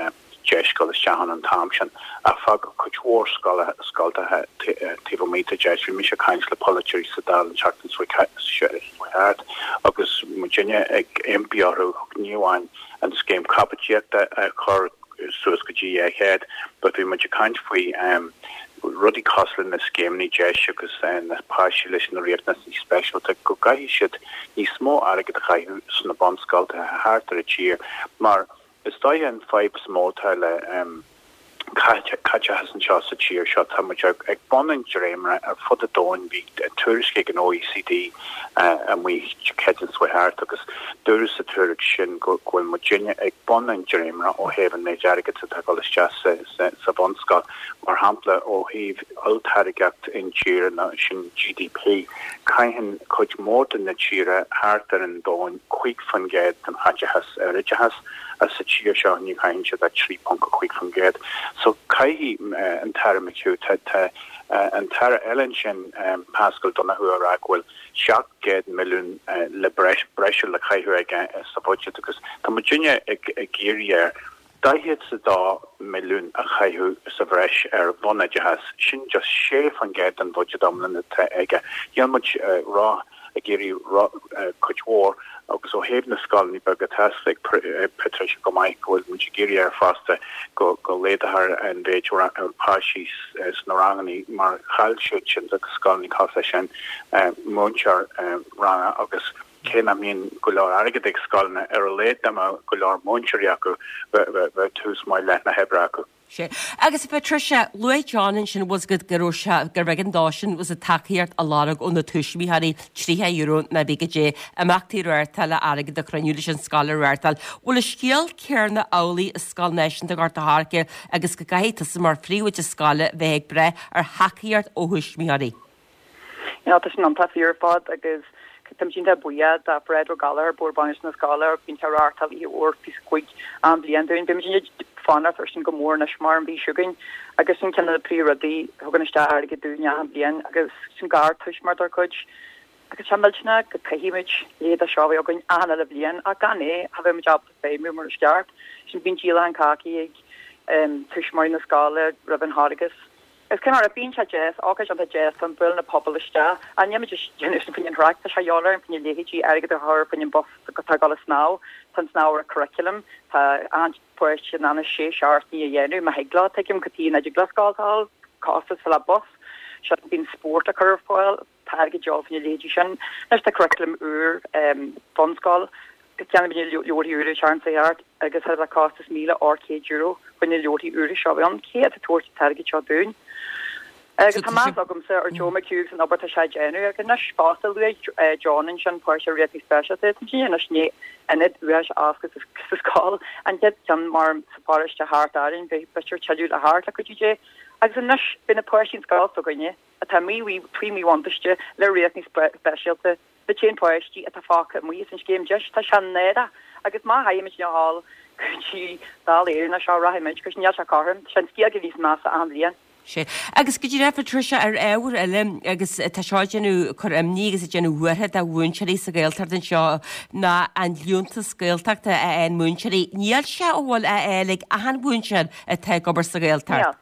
deis dul isteach ann an t-am sin ach fágadh cuid mhór scoltacha taobh amuigh de deis. Bhí mise ag caint le polaiteoirí sa Dáil an tseachtain seo thart agus muidinne ag impí orthu ní amháin an scéim caipitíochta a chur suas go dtí dhá chéad but bhí muid ag caint faoi rudaí cosúil le na scéimeanna deis agus na páistí leis na riachtanais speisialta go gcaithfidh siad níos mó airgead a chaitheamh sna bunscoltacha thart ar an tír mar is dóiche an fadhb is mó atá le caiteachas anseo sa tír seo tá muid ag bun an dréimire ar fud an domhain bhí tuairisc ag an OECD amuigh Céadaoin seo thart agus dúradh sa tuairisc sin go bhfuil muidinne ag bun an dréimire ó thaobh an méid airgid atá ag dul isteach sa sa sa bhunscoil mar shampla ó thaobh olltáirgeacht intíre ná sin GDP caitheann cuid mhór de na tíortha thart ar an domhan cúig faoin gcéad den chaiteachas ar oideachas as sa tír seo ní chaitheann siad ach trí ponc a cúig faoin gcéad. So caithfidh an tAire McHugh tá tá an tAire eile ansin Paschal Donohoe a rá go bhfuil seacht gcéad milliún le breis breise le caitheamh aige sa bhudget agus tá muidinne ag ag iarraidh air daichead is a dó milliún a chaitheamh sa bhreis ar bhunoideachas, sin just sé faoin gcéad den bhudget iomlán atá aige. Níl muid rá ag iarraidh cuid mhór agus ó thaobh na scoileanna beaga tá a fhios ag Patricia go maith go bhfuil muid ag iarraidh air fosta go go laghdófar an mhéid páistí sna ranganna mar chaill siad sin agus scoileanna cosúil leis sin múinteoir ranga agus cé nach mbíonn go leor airgead ag scoileanna ar a laghad dá mbeadh go leor múinteoirí acu bheadh tús maith le na hoibre acu. Sé. Agus Patricia, luaigh John ansin was go go raibh sé gurbh éigean dósan was a tacaíocht a lorg ó na tuismitheoirí tríocha euro nó pé goidé imeachtaí reáchtáil le airgead a chruinniú leis an scoil a reáchtáil. Bhfuil an scéal céanna amhlaidh i Scoil Náisiúnta Ghort a' Choirce agus go gcaithfidh tusa mar phríomhoide scoile bheith ag brath ar thacaíocht ó thuismitheoirí? You know, tá sin iontach fíor ar fad agus Táim iontach buíoch do Fred Ó Gallchóir, Bord Bainistithe na Scoile, bíonn sé ag reáchtáil oíche mhór píosa cúig achan bhliain dúinn. Bíonn muid ag fanacht air sin go mór anois mar an mhí seo chugainn agus sin ceann de na príomhrudaí a thugann isteach airgead dúinn achan bhliain agus sin gartuismitheoir dár gcuid. Agus tá millteanach go gcaithfidh muid leithéid seo a bheith againn achan uile bhliain ach gan é cha bheidh muid ábalta feidhmiú mar is ceart. Sin bíonn díolachán cácaí ag tuismitheoirí na scoile roimh an Charghas. Is cé mar a bíonn sé deas, ócáid iontach deas chun bualadh na pobal isteach. Ach níl muid ag déanamh sin faoin thraic, tá sé de dhíobháil orainn faoina leithéidí airgead a chur faoin bus atá ag dul ag snámh. Tá an snámh ar an curriculum, tá achan pháiste in ann sé seachtaine a dhéanamh má thig leo, tuigim cad chuige nach dtig le scoil a fháil costas le bus. Seo bíonn spórt a chur ar fáil, tá airgead de dhíobháil faoina leithéidí sin. Anois tá curriculum úr bunscoil, Cheannaigh muid leabharthaí úra an tseachtain seo thart agus thar a bheith costas míle ocht chéad euro faoi na leabharthaí úra seo a bhí ann. Cé atá ag tabhairt an t-airgead seo dúinn? Agus tá meas agamsa ar Joe McHugh agus an obair atá sé a dhéanamh agus anois fosta luaigh John ansin páiste riachtanais speisialta tá sin anois ní ionad uais oscailt sa scoil an chéad ceann mar sa pharóiste thart orainn bhí b'fhéidir tuilleadh le theacht le cuidiú Dé agus anois beidh na páistí an scoil s'againne atá mí faoi mhíbhuntáiste le riachtanais speisialta na t-aon páistí atá fágtha amuigh as an scéim deis tá sé náireach agus má théimid a ghabháil go dtí Dáil Éireann seo rachaimid cos níl sé cothrom tá an scéal níos measa achan bhliain. Sea. Agus go díreach, Patricia, ar ábhar eile, agus tá seo ag déanamh cur imní agus ag déanamh buartha do mhúinteoirí sa Ghaeltacht anseo, ná an liúntas Gaeltachta a fhaigheann múinteoirí. Níl sé an bhfuil á fháil ag achan mhúinteoir atá ag obair sa Ghaeltacht. Níl.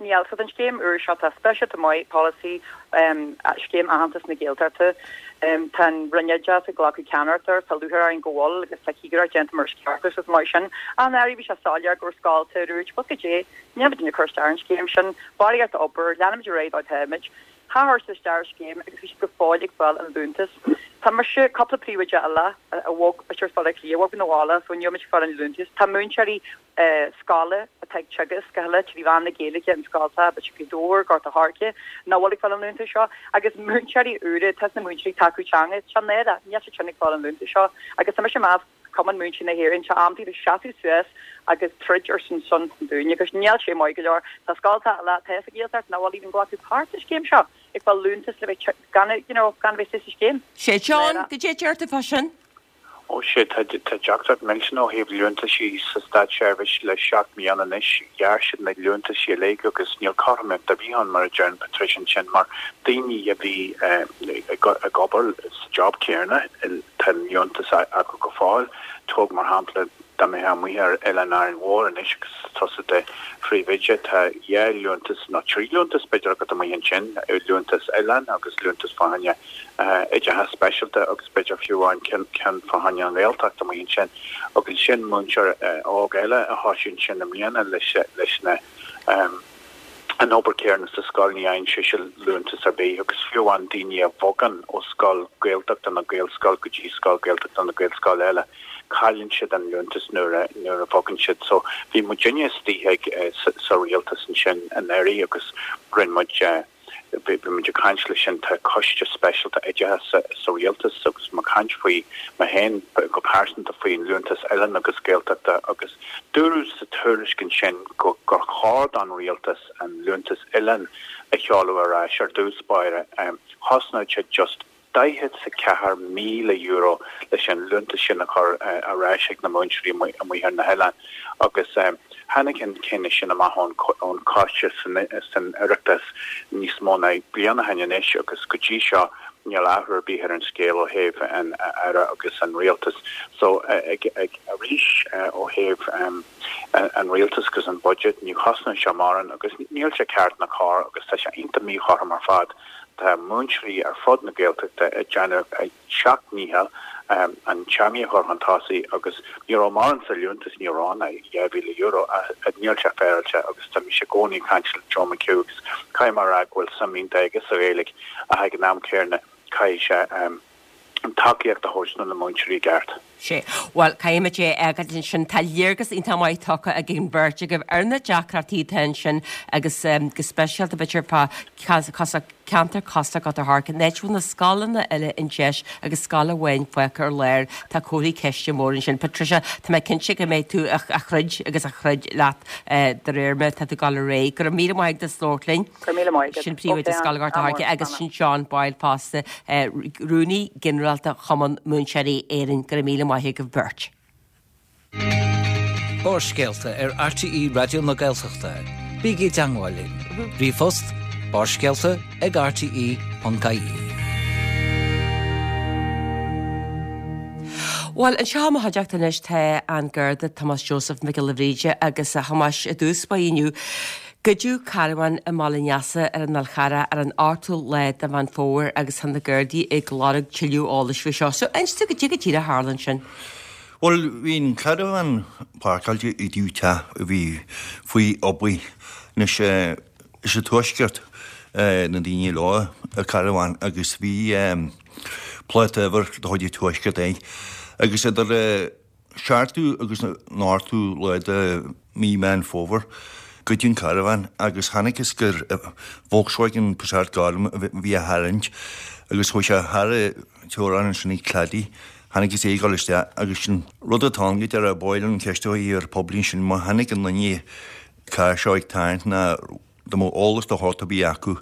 Níl. So don scéim úr seo tá speisialta maith, polasaí, scéim aitheantas na Gaeltachta. Tá an Roinn Oideachais ag glacadh ceannaireacht air, tá lúcháir orainn go bhfuil agus tá cigireacht déanta mar is ceart agus mar sin. Ach anuraidh bhí sé soiléir go raibh scoilte a dúirt, bhuel goidé, níl muid ag cur isteach ar an scéim sin, barraíocht obair, leanfaimid ar aghaidh dá dtáimid. Chuir siad isteach ar an scéim agus bhí siad go fóill ag fáil an liúntas. Tá mise, cúpla príomhoide eile a bhog, b'fhéidir as Baile Átha Cliath, a bhog 'na bhaile so níl muid ag fáil an liúntas. Tá múinteoirí scoile atá ag teagasc go huile trí mheán na Gaeilge in scoltacha, b'fhéidir Gaoth Dobhair, Gort a' Choirce, nach bhfuil ag fáil an liúntais seo, agus múinteoirí úra, tá na múinteoirí tacú teanga, tá náire, níl siad sin ag fáil an liúntais seo, agus tá mise ag meas Cumann Múinteoirí na hÉireann, tá am daoibh seasamh suas agus troid ar son son dúinne, agus níl sé maith go leor, tá scoltacha eile atá sa Ghaeltacht nach bhfuil even glacadh páirt sa scéim seo, ag fáil liúntas le bheith gan, you know, gan a bheith sa scéim. Sé John, goidé a deir tú fá sin? Ó sea, tá deacracht millteanach ó thaobh liúntaisí sa státseirbhís le seacht mbliana anois. Ghearr siad na liúntaisí uilig agus níl cothromaíocht ar bith ann, mar a deireann Patricia ansin, mar daoine a bhí ag obair sa job céanna, tá an liúntas acu go fóill. Tóg mar shampla, dá mbeifeá amuigh ar Oileán Árainn Mhór anois agus tusa i do phríomhoide, tá dhá liúntas nó trí liúntas b'fhéidir agat amuigh ansin, liúntas oileáin agus liúntas fá choinne oideachas speisialta agus b'fhéidir fiú amháin ceann fá choinne an Ghaeltacht amuigh ansin agus ansin múinteoir óg eile a thosaigh ansin i mbliana leis leis na an obair céanna sa scoil ní fhaigheann sise liúntas ar bith agus fiú amháin daoine a bhogann ó scoil Gaeltachta nó Gaelscoil go dtí scoil Gaeltachta nó Gaelscoil eile cailleann siad an liúntas nuair a nuair a bhogann siad so bhí muidinne istigh ag sa rialtas ansin anuraidh agus rinne muid Bhí muid ag caint leis sin, tá coiste speisialta oideachais sa rialtas agus mé ag caint faoi mé féin go pearsanta faoi an liúntas oileáin agus Gaeltachta agus dúradh sa tuairisc ansin go gur chóir don rialtas an liúntas oileáin a sheoladh ar ais ar dtús báire. Chosnódh sé just daichead 's a ceathair míle euro leis an liúntas sin a chur ar ais ag na múinteoirí amuigh ar na hoileáin agus tháinig an cinneadh sin amach ón choiste san Oireachtas níos mó ná bliain ó shin anois agus go dtí seo níl athrú ar bith ar an scéal ó thaobh an Aire agus an Rialtas. So ag arís ó thaobh an Rialtas agus an budget ní chosnóidh sé mórán agus níl sé ceart ná cóir agus tá sé iontach míchothrom ar fad. Tá múinteoirí ar fud na Gaeltachta ag déanamh a seacht ndícheall an teangaidh a chur chun tosaigh agus ní raibh mórán sa liúntas, ní raibh ann ach dhá mhíle euro ach níl sé féaráilte agus tá mise i gcónaí ag caint le Joe McHugh agus caithfidh mé a rá go bhfuil suim iontach aige sa Ghaeilge ach ag an am céanna caithfidh sé an tacaíocht a thabhairt do na múinteoirí i gceart. Sea. Bhuel, caithfimid é a fhágáil ansin. Tá léargas iontach maith tugtha ag an bheirt agaibh ar na deacrachtaí atá ansin agus go speisialta b'fhéidir fá ceantar cosúil le Gort a' Choirce, an áit a bhfuil na scoileanna uile i ndeis agus scoil amháin fágtha ar lár. Tá comharthaí ceiste mór ansin. Patricia, tá mé cinnte go mbeidh tú ag troid agus ag troid leat de réir mar atá tú ag dul ar aghaidh. Go raibh míle maith agat as labhairt linn. Go raibh míle maith agat. Sin príomhoide Scoil Ghort a' Choirce agus sin John Boyle fosta, Rúnaí Ginearálta Chumann Múinteoirí Éireann. Go raibh míle maith agaibh beirt. Barrscéalta ar RTÉ Raidió na Gaeltachta. Bígí i dteangmháil linn. Ríomhphost, barrscéalta ag rte ponc ie. Bhuel, anseo i mo chuideachta anois tá an Garda Tomás Joseph Mac Giolla Bhríde agus a Thomáis i dtús báire inniu. Goideadh carbhán i mBaile an Easa ar an Fhál Charrach ar an ochtú lá de Mheán Fómhair agus tá na Gardaí ag lorg tuilleadh eolais faoi seo. So, inis dúinn goidé go díreach a tharla ansin. Bhuel, bhí an carbhán páirceáilte i dtaobh teach a bhí faoi obair. Anois, is sa Tuaisceart na daoine leo an carbhán agus bhí pláta uimhir de chuid an Tuaiscirt air. Agus idir seachtú agus an ochtú lá de mí Meán Fómhair, Goideadh an carbhán agus chonacthas gur Volkswagen Passat gorm a bhí á tharraingt agus chuaigh sé thar an teorainn ansin ag Clady. Chonacthas é ag dul isteach agus sin rud atá ann go deireadh ba mhaith liom an cheist a chur ar poiblí ansin má chonaic aon duine carr seo ag tarraingt ná dá mbeadh eolas de shórt ar bith acu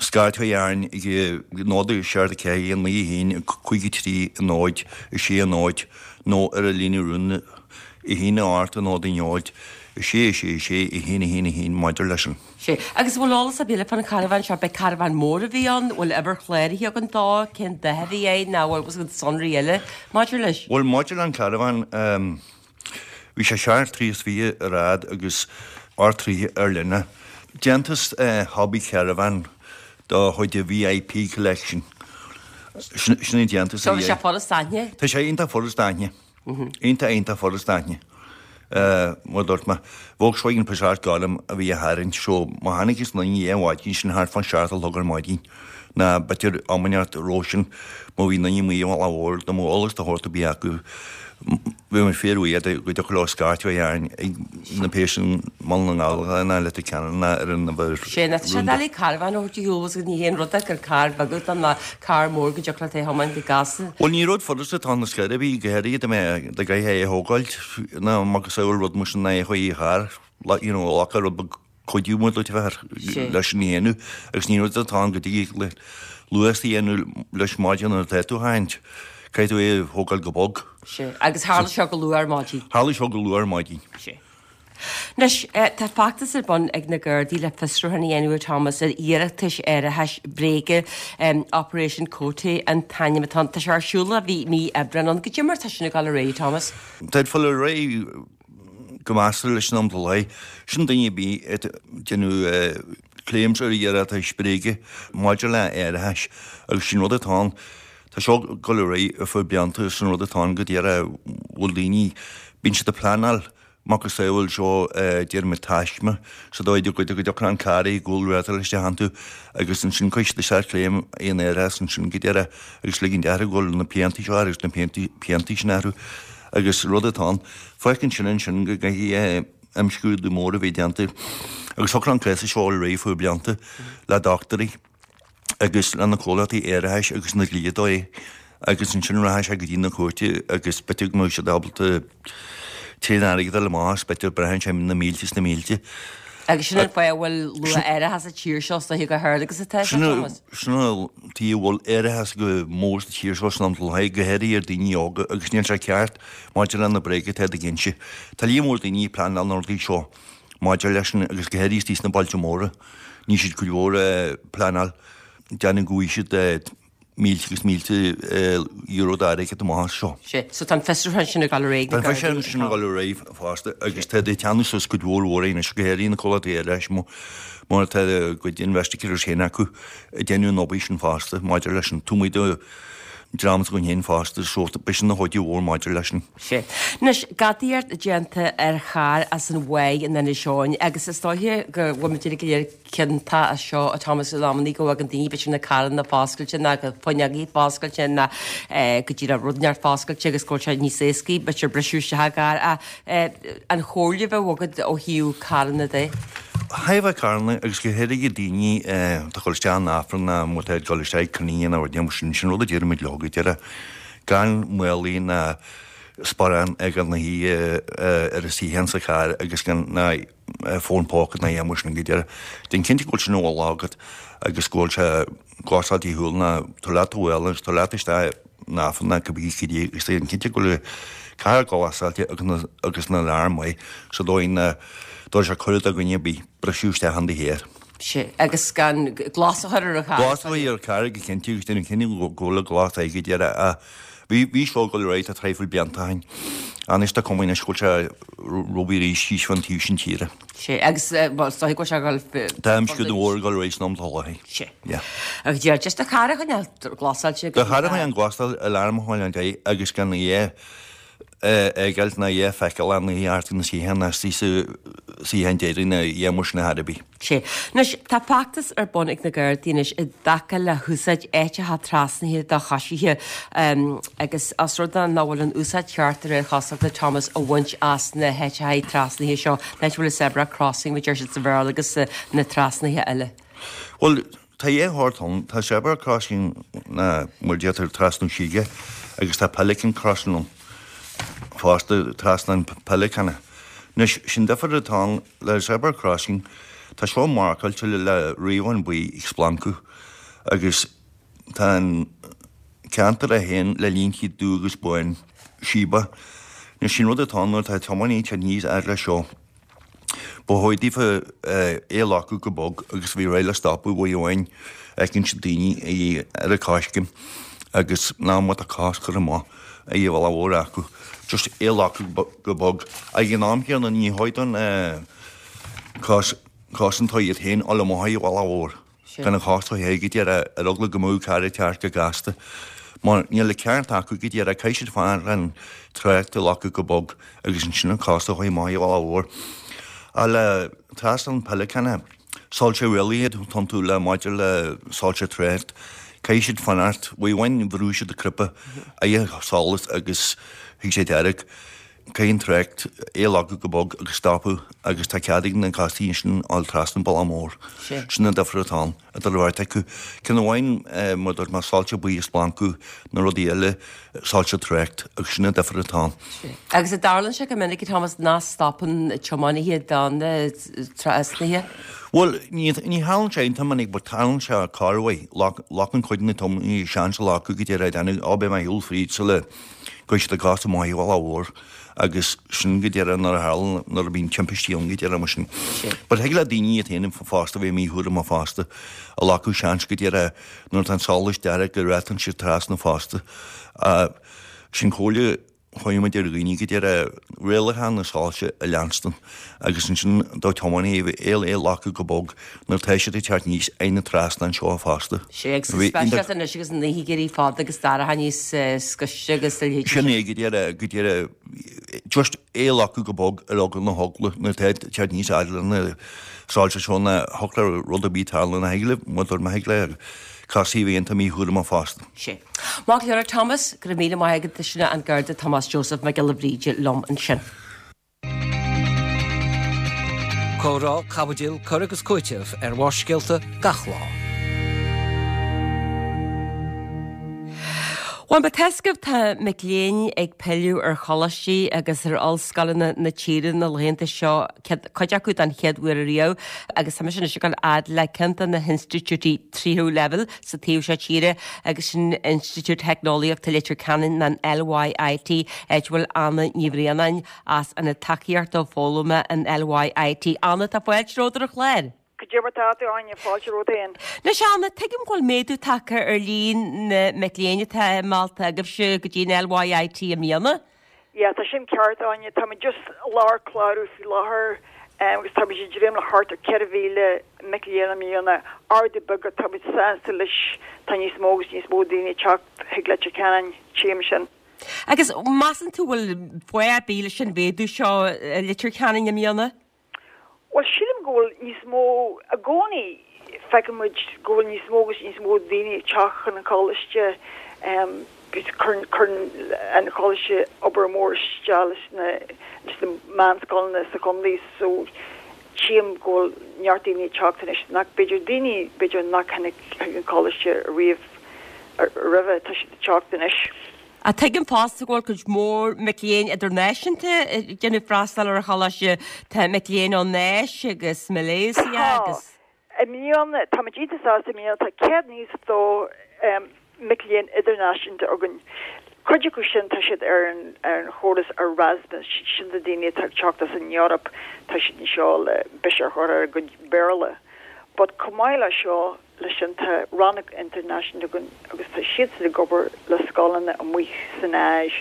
scairt a chur orainn ag náid seacht a ceathair naoi a haon cúig a trí náid a sé náid nó ar an líne rúnda a haon a hocht a náid a náid a sé a sé a sé a haon a haon a haon maidir leis an. Sea. Agus an bhfuil eolas ar bith eile fán charbhán seo? B'é carbhán mór a bhí ann? Bhfuil uimhir chláraithe againn dó? Cén dath a bhí air? Nó bhfuil fhios agat sonraí eile maidir leis? Bhuel, maidir le an carbhán, bhí sé seacht dtroigh is fiche ar fhad agus ocht dtroigh ar leithne. Déantús Hobby Caravan de chuid VIP Collection. Sin an déantús a bhí air. Tá sé furast aithne? Tá sé iontach furast aithne. Iontach, iontach furast aithne. Mar a dúirt mé, Volkswagen Passat gorm a bhí á tharraingt so má chonacthas aon duine é ar maidin sin thart fán seacht a chlog ar maidin ná b'fhéidir am inteacht roimhe sin má bhí duine amuigh ar an bhealach mhór dá mbeadh eolas de shórt ar bith acu bheadh muid fíorbhuíoch dá dtiocfadh leo scairt a chur orainn ag na pé sin mBaile na nGall ná Leitir Ceanainn ná ar an uimhir Sé ná tá sé doiligh carbhán a thabhairt ar shiúl agus ní haon rud é gur carr beag atá ann ná carr mór go dtiocfadh leat é a thiomáint go gasta. Bhuel ní rud furasta atá ann ar scor ar bith, go háirithe dá mbeadh dá gcaithfeá é a thógáilt ná macasamhail rud mar sin ná é a chur i gcarr, you know, ghlacfadh rud beag cuidiú mar dúirt a bheith leis an dhéanamh agus ní rud atá ann go dtig le luas a dhéanamh leis maidin nuair atá tú á tharraingt. Caithfidh tú é a thógáil go bog. Sea. Agus tharla seo go luath ar maidin. Tharla seo go luath ar maidin. Sea. Anois, tá feachtas ar bun ag na Gardaí le fiosrúchán a dhéanamh, a Thomas, ar iarratais árachais bréige, Operation Cote an t-ainm atá ann. Tá sé ar siúl ó bhí mí Aibreán ann. Goidé mar tá sin ag dul ar aghaidh, Thomas? Tá ag dul ar aghaidh go measartha leis an am atá léi. Sin duine ar bith ag déanamh claims ar iarratais bréige maidir le árachais agus sin rud atá ann. Tá seo ag dul ar aghaidh ar feadh blianta sin rud atá ann go díreach bhfuil daoine, bíonn siad ag pleanáil macasamhail seo déarfaidh muid taisme sa dóigh go dtiocfaidh an carr i gcúl rátáil isteach iontu agus ansin cuirfidh siad isteach claim aon árachas ansin go deireadh agus ligean d'athrú go bhfuil na piantaí seo agus na piantaí sin athrú agus rud atá ann. Fágann sin ansin go gcaithfidh imscrúdú mór a bheith déanta agus thiocfadh an cás seo ar aghaidh faoi blianta le dochtúirí agus le na comhlachtaí árachais agus na dlíodóirí agus ansin rachaidh sé go dtí na cúirte agus b'fhéidir go mbeadh siad ábalta tréan airgid a fháil amach as, b'fhéidir braitheann sé na mílte is na mílte. Agus sin an fáth a bhfuil luath-árachas sa tír seo is dóiche chomh hard agus atá sé, Thomas. Sin an tuige a bhfuil árachas chomh mór sa tír seo san am atá le go háirithe ar daoine óga agus níl sé ceart maidir le na bréaga atá ag inse. Tá líon mór daoine ag pleanáil na rudaí seo maidir leis an agus go háirithe istigh sna bailte móra níl siad cuid mhór ag pleanáil déanamh go bhfaighidh siad mílte agus mílte euro d'airgead amach as seo. Sea, so tá an fiosrúchán sin ag dul ar aghaidh. Tá an fiosrúchán sin ag dul ar aghaidh fosta agus tá ag teannadh suas cuid mhór mhór anois, go háirithe na comhlachtaí árachais mar tá a gcuid investigators féin acu ag déanamh an obair sin fosta maidir leis an taobh amuigh de dream s'againn féin fosta so beidh sin ina chuidiú mhór maidir leis an. Sea. Anois, gadaíocht déanta ar charr as an Mhaigh in Inis Eoghain agus is dóiche go bhfuil muid uilig go léir ciontach as seo a Thomas in amannaí go bhfagann daoine b'fhéidir na carranna foscailte ná go fuinneogaí foscailte ná go díreach rud inteacht foscailte agus go bhfuil sé níos éascaí b'fhéidir briseadh isteach i gcarr ach an chomhairle a bheadh agat ó thaobh carranna de? Thaobh carranna agus go háirithe daoine atá ag dul isteach in Aifreann ná má tá ag dul isteach ag cruinnithe nó rud mar sin, sin rud a deirimid leo go deireadh gan málaí ná sparán ag an oíche ar a suíochán sa charr agus gan ná fón póca ná aon mar sin go deireadh. Déan cinnte go bhfuil sin i bhfolach agat agus go bhfuil sé glasáilte ar shiúl ná tabhair leat do mhála agus tabhair leat isteach in Aifreann ná cibé cad é agus déan cinnte go bhfuil an carr glasáilte agus na alarm maith sa dóigh nach dtabharfaidh sé cuireadh do dhuine ar bith briseadh isteach in do charr. Sea, agus gan glas a chur ar an charr. Glas a chur ar an charr go cinnte agus déan cinnte go bhfuil an glas aige go deireadh ach Bhí, bhí seo ag dul ar aghaidh tá traidhfil blianta ó shin. Anois tá cuma anois go bhfuil sé rómhaith arís thíos fán taobh sin tíre. Sea, agus bhuel is dóigh go bhfuil sé ag dul Tá imscrúdú mór ag dul ar aghaidh san am atá láthair. Sea. Yeah. Agus deir just do charr a choinneáil glasáilte Do charr a choinneáil glasáilte, alarm a choinneáil air agus gan é fheiceáil ná é a feiceáil ann i art na suíocháin ná istigh sa suíochán deiridh ná é mar sin ar bith. Sea. Anois, tá feachtas ar bun ag na Gardaí anois i dtaca le húsáid áiteacha trasnaithe do choisithe agus os rud é nach bhfuil an úsáid cheart de réir cosúlachta Thomas á bhaint as na háiteacha trasnaithe seo, an áit a bhfuil an zebra crossing, mar a deir siad sa Bhéarla, agus na trasnaithe eile. Bhuel, tá dhá shórt ann. Tá zebra crossing ná mar a deirtear trasnú síoga agus tá pelican crossing ann fosta, trasnán peileacáin. Anois, sin difear atá ann le zebra crossing, tá seo marcáilte le riabhán buí ag splancadh agus tá an ceantar é féin le línte dubh agus bán síoba. Anois, sin rud atá ann nuair atá tiománaí ag teacht aníos fhad leis seo. Ba chóir daofa é a ghlacadh go bog agus bhí réidh le stopadh uair amháin fheiceann siad daoine ar an coiscéim agus nach mbeadh a cás curtha amach ag an bhealach mhór acu. Just é a ghlacadh go bog. Ag an am céanna ní chóir don cos cosantóir iad féin a fháil amach ag an bhealach mhór. Gan an chás a théigh go deireadh ar eagla go mbeadh carr ag teacht go gasta. Mar níl an ceart acu go deireadh, caithfidh siad fanacht an trácht a ghlacadh go bog agus ansin an cás a chuir amach ag an bhealach mhór. Ach le trasnán peileacáin, soilse rialaithe atá iontu le maidir le soilse trácht, caithfidh siad fanacht, uair amháin bhrú siad an cnaipe aghaidh solas agus thig sé dearg. Caithfidh an trácht é a ghlacadh go bog agus stopadh agus tá cead ag na costaí ansin fháil trasna an bealach mór. Sin an difear atá ann, idir an bheirt acu. Ceann amháin, mar a dúirt mé, soilse buí ag splancadh, na rudaí eile, soilse trácht agus sin an difear atá ann. Agus an dtarlaíonn sé go minic, a Thomas, nach stopann tiománaithe do na trasnaithe? Bhuel, ní tharlaíonn sé iontach minic but tarlaíonn sé corruair. Glacann cuid de na tiománaithe seans a ghlacadh go deireadh, ag déanamh, ó beidh mé ar shiúl fríd sula gcuirfidh siad a gcos amach ar bhealach mhór agus sin go deireadh nuair a tharlaíonn, nuair a bhíonn timpistí ann go deireadh mar sin. But thig le daoine iad féin fosta bheith míchúramach fosta, a ghlacadh seans go deireadh nuair atá an solas dearg go rachadh siad trasna fosta. Sin comhairle chuirfidh muid ar dhaoine go deireadh rialacha na soilse a leanstan agus ansin do tiománaithe é a ghlacadh go bog nuair atá siad ag teacht aníos ag na trasnáin seo fosta. Sea, agus go speisialta anois agus an oíche ag éirí fada agus dorcha níos scoiste agus a leithéid. Sin é go deireadh, go deireadh, just é a ghlacadh go bog ar eagla na heagla nuair atá ag teacht aníos fhad le na soilse seo ná thiocfadh le rud ar bith tarlú ná thig le, má thig le cosaí a bheith iontach míchúramach fosta. Sea. Maith go leor, a Thomas, go raibh míle maith agat, sin an Garda Tomás Joseph Mac Giolla Bhríde liom ansin. Comhrá, caibidil, cur agus cúiteamh ar Bharrscéalta gach lá. Bhuel, mar atá a fhios agaibh, tá mic léinn ag pilleadh ar choláistí agus ar ollscoileanna na tíre na laethanta seo, cuid acu den chéad uair ariamh, agus tá mise anois ag dul fhad le ceann de na hinstitiúidí tríú leibhéal sa taobh seo tíre agus sin Institiúid Theicneolaíochta Leitir Ceanainn, an LYIT, áit a bhfuil Anna Ní Bhraonáin as Ionad Tacaíochta Foghlama an LYIT. Anna, tá fáilte romhat ar an chlár. Cad é mar tá tú, Áine, fáilte romhat féin. Anois, Anna, tuigim go bhfuil méadú tagtha ar líon na mic léinn atá meallta agaibhse go dtí an LYIT i mbliana. Yeah, tá sin ceart, Áine. Táimid just i lár clárú faoi láthair agus táimid ag dréim le thart ar ceithre mhíle mic léinn i mbliana. Ardú beag ach táimid sásta leis. Tá níos mó agus níos mó daoine ag teacht chuig Leitir Ceanainn, tchím sin. Agus measann tú bhfuil fáth ar bith leis an mhéadú seo i Leitir Ceanainn i mbliana? Bhuel, sílim go bhfuil níos mó, i gcónaí feiceann muid go bhfuil níos mó agus níos mó daoine ag teacht chun an choláiste. Cuireann, cuireann an choláiste obair mór isteach leis na, leis na meánscoileanna sa chontae so tchím go bhfuil neart daoine ag teacht anois nach, b'fhéidir daoine, b'fhéidir nach tháinig chuig an choláiste riamh roimhe, tá siad ag teacht anois. Ach tuigim fosta go bhfuil cuid mhór mic léinn idirnáisiúnta ag déanamh freastal ar an choláiste. Tá mic léinn ón Áis agus Malaysia agus. Tá. I mbliana, táimid iontach sásta i mbliana, tá céad nócha is a dó mic léinn idirnáisiúnta againn. Cuid acu sin, tá siad ar an ar an chóras Erasmus, sin na daoine atá ag teacht as an Eoraip, tá siad anseo le biseach a chur ar a gcuid Béarla. But chomh maith le seo, Leis sin tá rannóg idirnáisiúnta againn agus tá siadsan ag obair le scoileanna amuigh san Áis,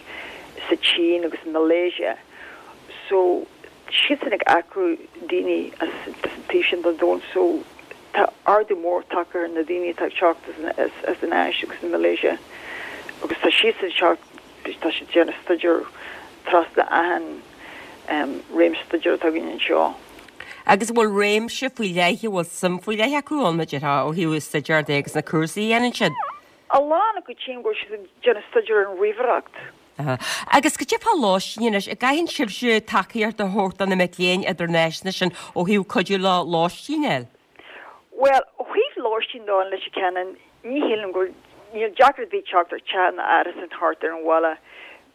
sa tSín agus i Malaysia. So siadsan ag earcú daoine as an taobh sin den domhan so tá ardú mór tagtha ar na daoine atá ag teacht as an Áis agus Malaysia agus tá siadsan ag teacht, tá siad ag déanamh staidéar trasna achan réimse staidéir atá againn anseo. Agus an bhfuil réimse faoi leith, an bhfuil suim faoi leith acu ann, mar a déarfá, ó thaobh staidéir de agus na cúrsaí a dhéanann siad? A lán acu tchím go bhfuil siad ag déanamh staidéar ar an ríomhaireacht. Agus cad é fá lóistín anois, an gcaitheann sibhse tacaíocht a thabhairt do na mic léinn idirnáisiúnta sin ó thaobh cuidiú leo lóistín a fháil? Bhuel, ó thaobh lóistín de in Leitir Ceanainn, ní shílim go bhfuil, níl deacracht ar bith teacht ar teach nó árasán thart ar an bhaile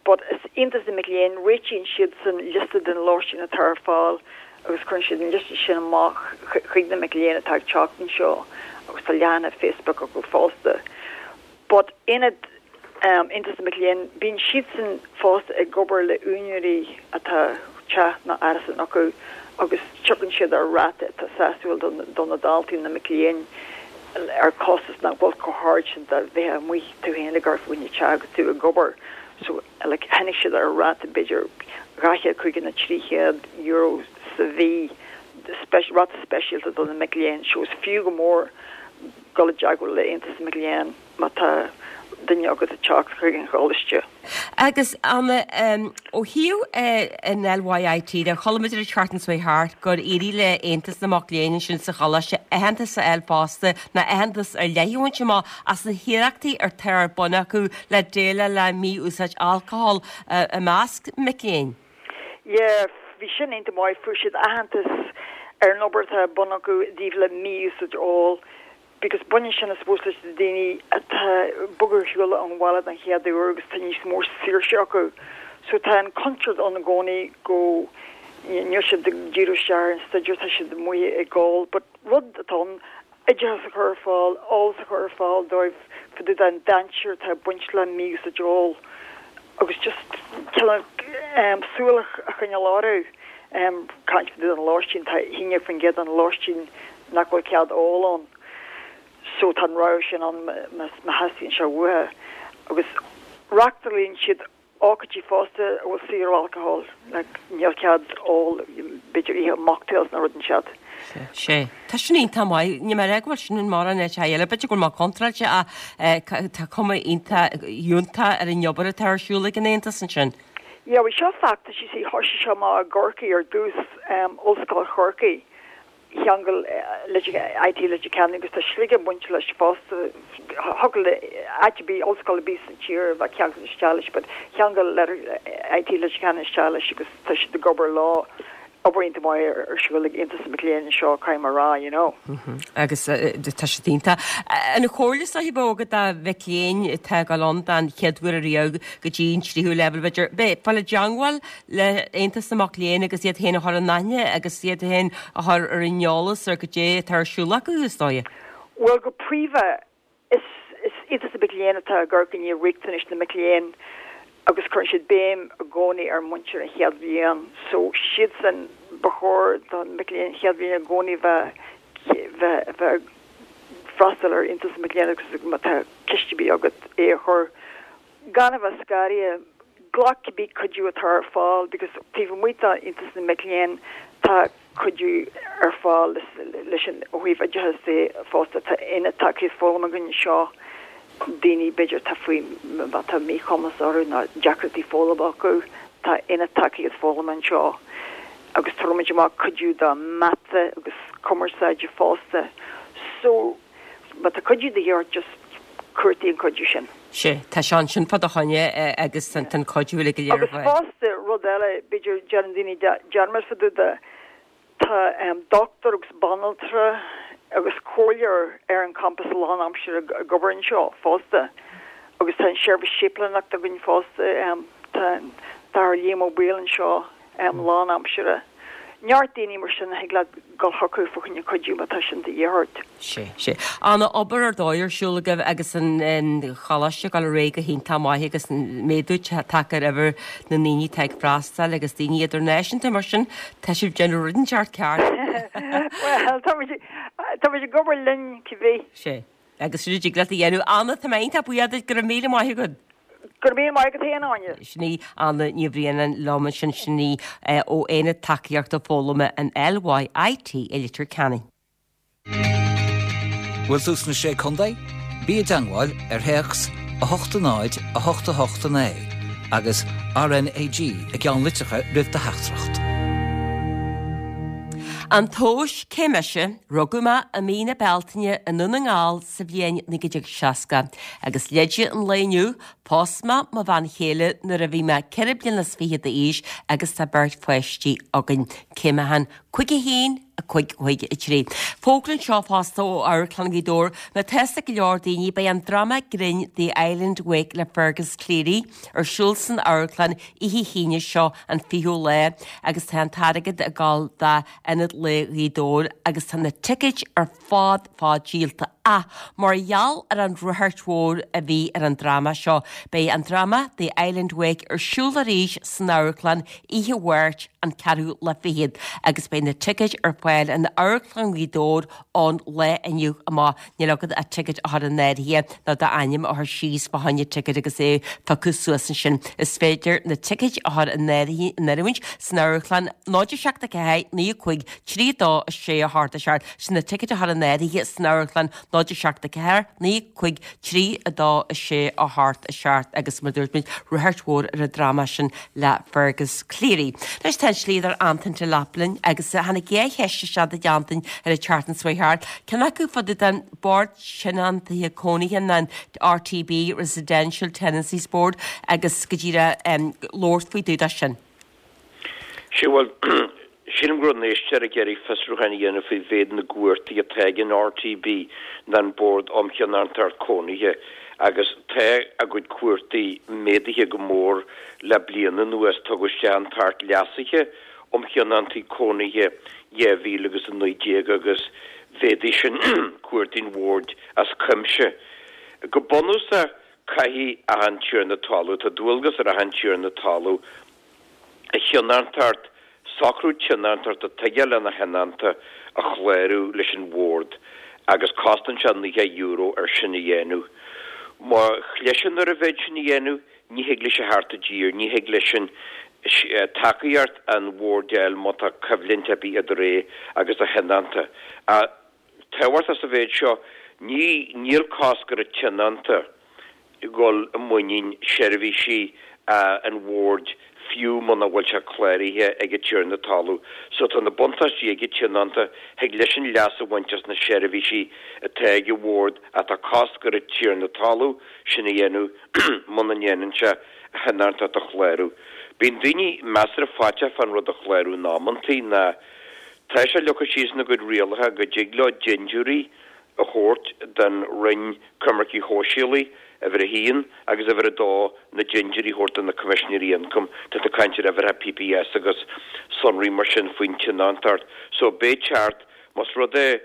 but is Aontas na Mac Léinn, réitíonn siadsan liosta den lóistín atá ar fáil agus cuireann siad an liosta sin amach chuig na mic léinn atá ag teacht anseo agus tá leathanach Facebook acu fosta. But Aonad Aontas na Mac Léinn, bíonn siadsan fosta ag obair le úinéirí atá teach nó árasán acu agus tiocfaidh siad ar ráta atá sásúil do na daltaí, na mic léinn, ar costas nach bhfuil chomh hard sin dá mbeifeá amuigh tú féin ag amharc fá choinne teach agus tú ag obair. So like tháinig siad ar ráta b'fhéidir dhá chéad caoga nó trí chéad euro sa mhí, ráta speisialta do na mic léinn. So is fiú go mór dul i dteagmháil le Aontas na Mac Léinn má tá duine agat ag teacht chuig an choláiste. Agus Anna, ó thaobh an LYIT de, chuala muid an tseachtain seo thart gur éirigh le Aontas na Mac Léinn ansin sa choláiste aitheantas a fháil fosta, nó aitheantas ar leith a bhaint amach as na hiarrachtaí atá ar bun acu le déileáil le mí-úsáid alcóil i measc mic léinn. Yeah, bhí sin iontach maith, fuair siad aitheantas ar an obair atá ar bun acu i dtaobh le mí-úsáid óil. Because baineann sin I suppose leis na daoine atá ag bogadh ar shiúl ón bhaile den chéad uair agus tá níos mó saoirse acu. So tá an contúirt ann i gcónaí go níl siad ag díriú isteach ar an staidéar, tá siad amuigh ag ól. But rud atá ann, oideachas a chur ar fáil, eolas a chur ar fáil dóibh fá dtaobh den dainséar atá ag baint le mí-úsáid óil agus just cineál súil a choinneáil orthu. Caint fá dtaobh den lóistín, tá a haon déag faoin gcéad den lóistín nach bhfuil cead óil ann. So tá an rogha sin ann má theastaíonn sé uathu. Agus reachtálann siad ócáidí fosta a bhfuil saor ó alcohol, like níl cead ól b'fhéidir oíche mocktails nó rud inteacht. Sea. Tá sin iontach maith. Níl mé ag rá go bhfuil sin in mórán áiteacha eile. B'fhéidir go bhfuil mé contráilte ach tá cuma iontach fhiúntach ar an obair atá ar siúl ag an Aontas ansin. Yeah, bhí seo feachtas, you see, thoisigh seo amach i gCorcaigh ar dtús, Ollscoil Chorcaí. Cheangail IT Leitir Ceanainn agus tá Sligeach bainte leis fosta. Thiocfadh le áit ar bith, ollscoil ar bith sa tír a bheith ceangailte isteach leis but cheangail IT Leitir Ceanainn isteach leis agus tá siad ag obair leo. Obair iontach maith ar siúl ag Aontas na Mac Léinn anseo, caithfidh mé a rá, you know. Agus tá siad iontach. An chomhairle is dóichí a bheadh agat do mhic léinn atá ag dul ann den chéad uair ariamh go dtí an tríú leibhéal b'fhéidir, bheith ag fáil i dteangmháil le Aontas na Mac Léinn agus iad féin a chur in aithne agus iad féin a chur ar an eolas ar goidé atá ar siúl acu, is dóigh. Bhuel, go príomha, is is Aontas na Mac Léinn atá ag amharc i ndiaidh riachtanais na mic léinn agus cuireann siad béim i gcónaí ar muintir an chéad bhliain. So, siadsan, ba chóir do na mic léinn an chéad bhliain i gcónaí bheith bheith bheith ag freastal ar Aontas na Mac Léinn agus má tá ceist ar bith agat é a chur. Gan a bheith scanraithe, glac cibé cuidiú atá ar fáil because taobh amuigh d'Aontas na Mic Léinn tá cuidiú ar fáil leis an ó thaobh oideachais de fosta. Tá aonad tacaíocht foghlama againn anseo, daoine b'fhéidir atá faoi má tá míchumas orthu nó deacrachtaí foghlama acu, tá aonad tacaíocht foghlama anseo agus tabhairimid amach cuidiú do mata agus cumarsáide fosta. So. Má tá cuidiú de dhíth ort, just cuartaigh an cuidiú sin. Sea, tá sé ansin fá do choinne agus tá an cuidiú uilig go léir Agus fosta, rud eile, b'fhéidir, déanann daoine dearmad fá dtaobh de, tá dochtúir agus banaltra agus comhairleoir ar an champas lánaimseartha ag obair anseo fosta. Agus tá an seirbhís séiplíneachta againn fosta, tá an tAthair Liam Ó Baoill anseo. lánaimseartha. Neart daoine mar sin a thig leat dul chucu fá choinne cuidiú má tá sin de dhíth ort. Sea, sea. An-obair ar dóigh ar siúl agaibh agus an choláiste ag dul ar aghaidh go hiontach maith agus méadú tagtha ar uimhir na ndaoine atá ag freastal agus daoine idirnáisiúnta mar sin tá sibh ag déanamh rud inteacht ceart. Bhuel, tá muid, tá muid ag obair linn cibé. Sea. Agus sin a dtig leat a dhéanamh. Anna, tá mé iontach buíoch duit, go raibh míle maith agat. Go raibh míle maith agat féin, Áine. Sin í Anna Ní Bhraonáin liom ansin, sin í ó Aonad Tacaíochta Foghlama an LYIT i Leitir Ceanainn. Bhfuil tú sna Sé Contae? Bí i dteangmháil ar théacs a hocht a náid a hocht a hocht a naoi agus RnaG i gceannlitreacha roimh do theachtaireacht. An tomhas cé mise, rugadh mé i mí na Bealtaine i nDún na nGall sa bhliain naoi déag seasca, agus leide an lae inniu, phós mé mo bhean chéile nuair a bhí mé ceithre bliana is fiche d'aois agus tá beirt pháistí againn. Cé mé féin? Cúig a haon, a cúig, cúig a trí. Fógra anseo fosta ó Amharclann Ghaoth Dobhair, má tá fhios ag go leor daoine, beidh an dráma grinn The Island Wake le Fergus Cleary ar siúl san amharclann oíche hAoine seo an fichiú lá agus tá an t-airgead ag dul d'Ionad Lae Ghaoth Dobhair agus tá na ticéid ar fad fad díolta. Ach mar gheall ar an ráchairt mhór a bhí ar an dráma seo, beidh an dráma The Island Wake ar siúl arís san amharclann oíche Mháirt an ceathrú lá fichead agus beidh na ticéid ar fáil in Amharclann Ghaoth Dobhair ón lá inniu amach. Níl agat ach ticéad a chur in áirithe nó d'ainm a chur síos fá choinne ticéid agus é a phiocadh suas ansin. Is féidir na ticéid a chur in áirithint san amharclann náid a seacht a ceathair naoi a cúig trí dó a sé a hocht a seacht. Sin na ticéid a chur in áirithe san amharclann náid a seacht a ceathair naoi a cúig trí a dó a sé a hocht a seacht agus mar dúirt muid ráchairt mhór ar an dráma sin le Fergus Cleary. Anois tá an slíodóir Antain de Lap linn agus tháinig dhá cheist isteach do Antain ar an tseachtain seo thart. Ceann acu fá dtaobh den Bord Tionóntaithe Cónaithe an RTB Residential Tenancies Board agus go díreach labhairt faoi dtaobh de sin. Sea, bhuel, sílim go raibh an éisteoir ag iarraidh fiosrúchán a dhéanamh faoi mhéid na gcuótaí atá ag an RTB ná an Bord um Thionóntacht Cónaithe agus tá a gcuid cuótaí méadaithe go mór le bliain anuas. Tugadh isteach an tAcht Leasaithe um Thionóntaí Cónaithe dhá mhíle agus a naoi déag agus mhéadaigh sin cuótaí an Bhoird as cuimse. Go bunúsach, caithfidh achan tiarna talún, tá dualgas ar achan tiarna talún, a thionóntacht, socrú tionóntachta atá aige lena thionónta a chlárú leis an Bhord agus cosnaíonn sé naocha euro ar sin a dhéanamh. Má chliseann ar an mhéid sin a dhéanamh, ní thig leis a theacht i dtír, ní thig leisean tacaíocht an Bhoird a fháil má tá coimhlint ar bith idir é agus a thionónta. Ach tábhachtach sa mhéid seo, ní, níl cosc ar an tionónta dhul i muinín seirbhísí an Bhoird fiú muna bhfuil sé cláraithe ag an tiarna talún. So tá na buntáistí ag an tionónta, thig leisean leas a bhaint as na seirbhísí atá ag an Bhord ach tá cosc ar an tiarna talún sin a dhéanamh muna ndéanann sé a thionóntacht a chlárú. Bíonn daoine measartha faiteach fán rud a chlárú in amantaí ná tá sé leagtha síos ina gcuid rialacha go dtig leo dintiúirí a thabhairt don Roinn Coimirce Shóisialaí, uimhir a haon, agus uimhir a dó, na dintiúirí a thabhairt do na Coimisinéirí Ioncaim. Tá tú ag caint ar uimhreacha PPS agus sonraí mar sin faoin tionóntacht. So beidh teacht, más rud é,